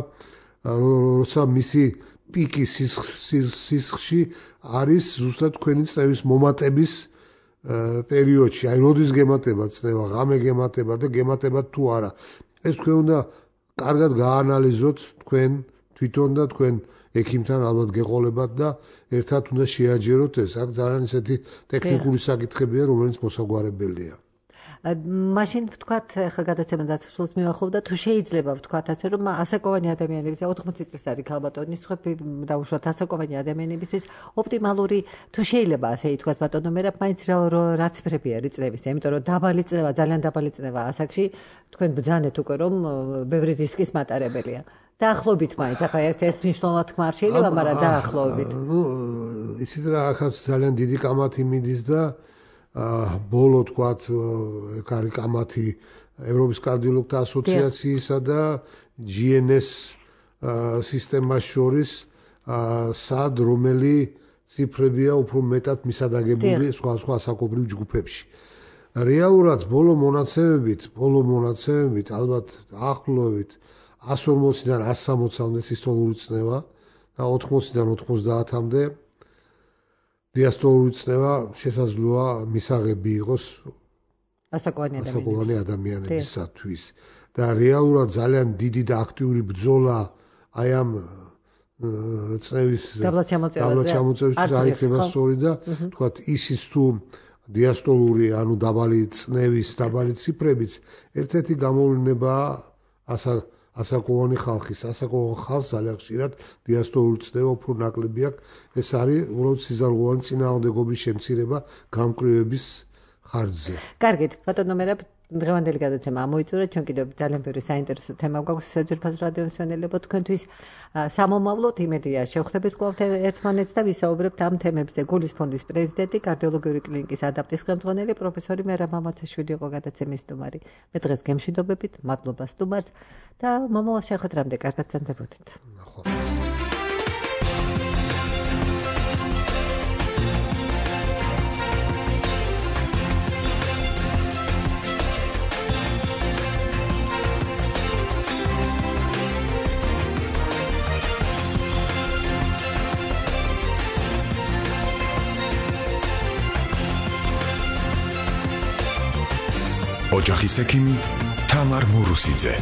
როცა მისი პიკი სისხლში არის ზუსტად თქვენი წნევის მომატების პერიოდში აი როდის გემატება წნევა ღამე გემატება და გემატება თუ არა ეს თქვენ უნდა კარგად გაანალიზოთ თქვენ თვითონ და თქვენ ექიმთან ალბათ გეყოლებათ და ერთად უნდა შეაჯეროთ ეს აქ ძალიან ისეთი ტექნიკური საკითხებია რომელიც მოსაგვარებელია მაშინ ვთქვათ ხა გადაცემა დასრულს მივახოვდა თუ შეიძლება ვთქვათ ასე რომ ასაკოვანი ადამიანების ოთხმოცი წლის არის ქალბატონი სხვები დაუშვათ ასაკოვანი ადამიანებისთვის ოპტიმალური თუ შეიძლება ასე ითქვას ბატონო მე რა მაინც რა ციფრები არის წნევის იმიტომ რომ დაბალი წნევა ძალიან დაბალი წნევა ასაკში თქვენ ბძანეთ უკვე რომ ბევრი რისკის მატარებელია დაახლოებით მაინც ახლა ერთ-ერთ მნიშვნელოვნად თქმა არ შეიძლება მაგრამ დაახლოებით ნუ იცით რა ახაც ძალიან დიდი კამათი მიდის და ბოლო თქვათ ეგ არის კამათი ევროპის კარდიოლოგთა ასოციაციისა და ჯი εν ეს სისტემას შორის სად რომელი ციფრებია უფრო მეტად მისადაგებული სხვა სხვა ასაკობრივ ჯგუფებში რეალურად ბოლო მონაცემებით ბოლო მონაცემებით ალბათ ახლოვით εκατს ორმოცდან εκατს სამოცამდე სისტოლური წნევა და ოთხმოცდან ოთხმოცდაათამდე დიასტოლური წნევა შესაძლოა მისაღები იყოს ასაკოვანი ადამიანებისათვის და რეალურად ძალიან დიდი და აქტიური ბრძოლა აი ამ წნევის დაბლაჩამოწევისთვის აიქნება სწორი და თქვათ ისიც თუ დიასტოლური ანუ დაბალი წნევის დაბალი ციფრებიც ერთ-ერთი გამოვლენებაა ასა ასაკოვანი ხალხის ასაკოვან ხალხს ძალიან ხშირად დიასტოლური წნევა უფრო ნაკლები აქვს ეს არის უბრალოდ სიზარღვოვანი წინააღმდეგობის შემცირება გამკრივების ხარჯზე კარგით ბატონო მერაბ დღევანდელი გადაცემა ამოიწურა ჩვენ კიდევ ძალიან ბევრი საინტერესო თემა გვაქვს ძვირფას რადიო მსმენელებო თქვენთვის სამომავლოდ იმედია შევხვდებით კვლავ ერთმანეთს და ვისაუბრებთ ამ თემებზე გულის ფონდის პრეზიდენტი კარდიოლოგიური კლინიკის ადაპტის ხელმძღვანელი პროფესორი მერაბ მამაცაშვილი იყო გადაცემის სტუმარი მე დღეს გემშვიდობებით მადლობა სტუმარს და მომავალ შეხვედრამდე კარგად გრძანდებოდეთ ოჯახის ექიმი თამარ მურუსიძე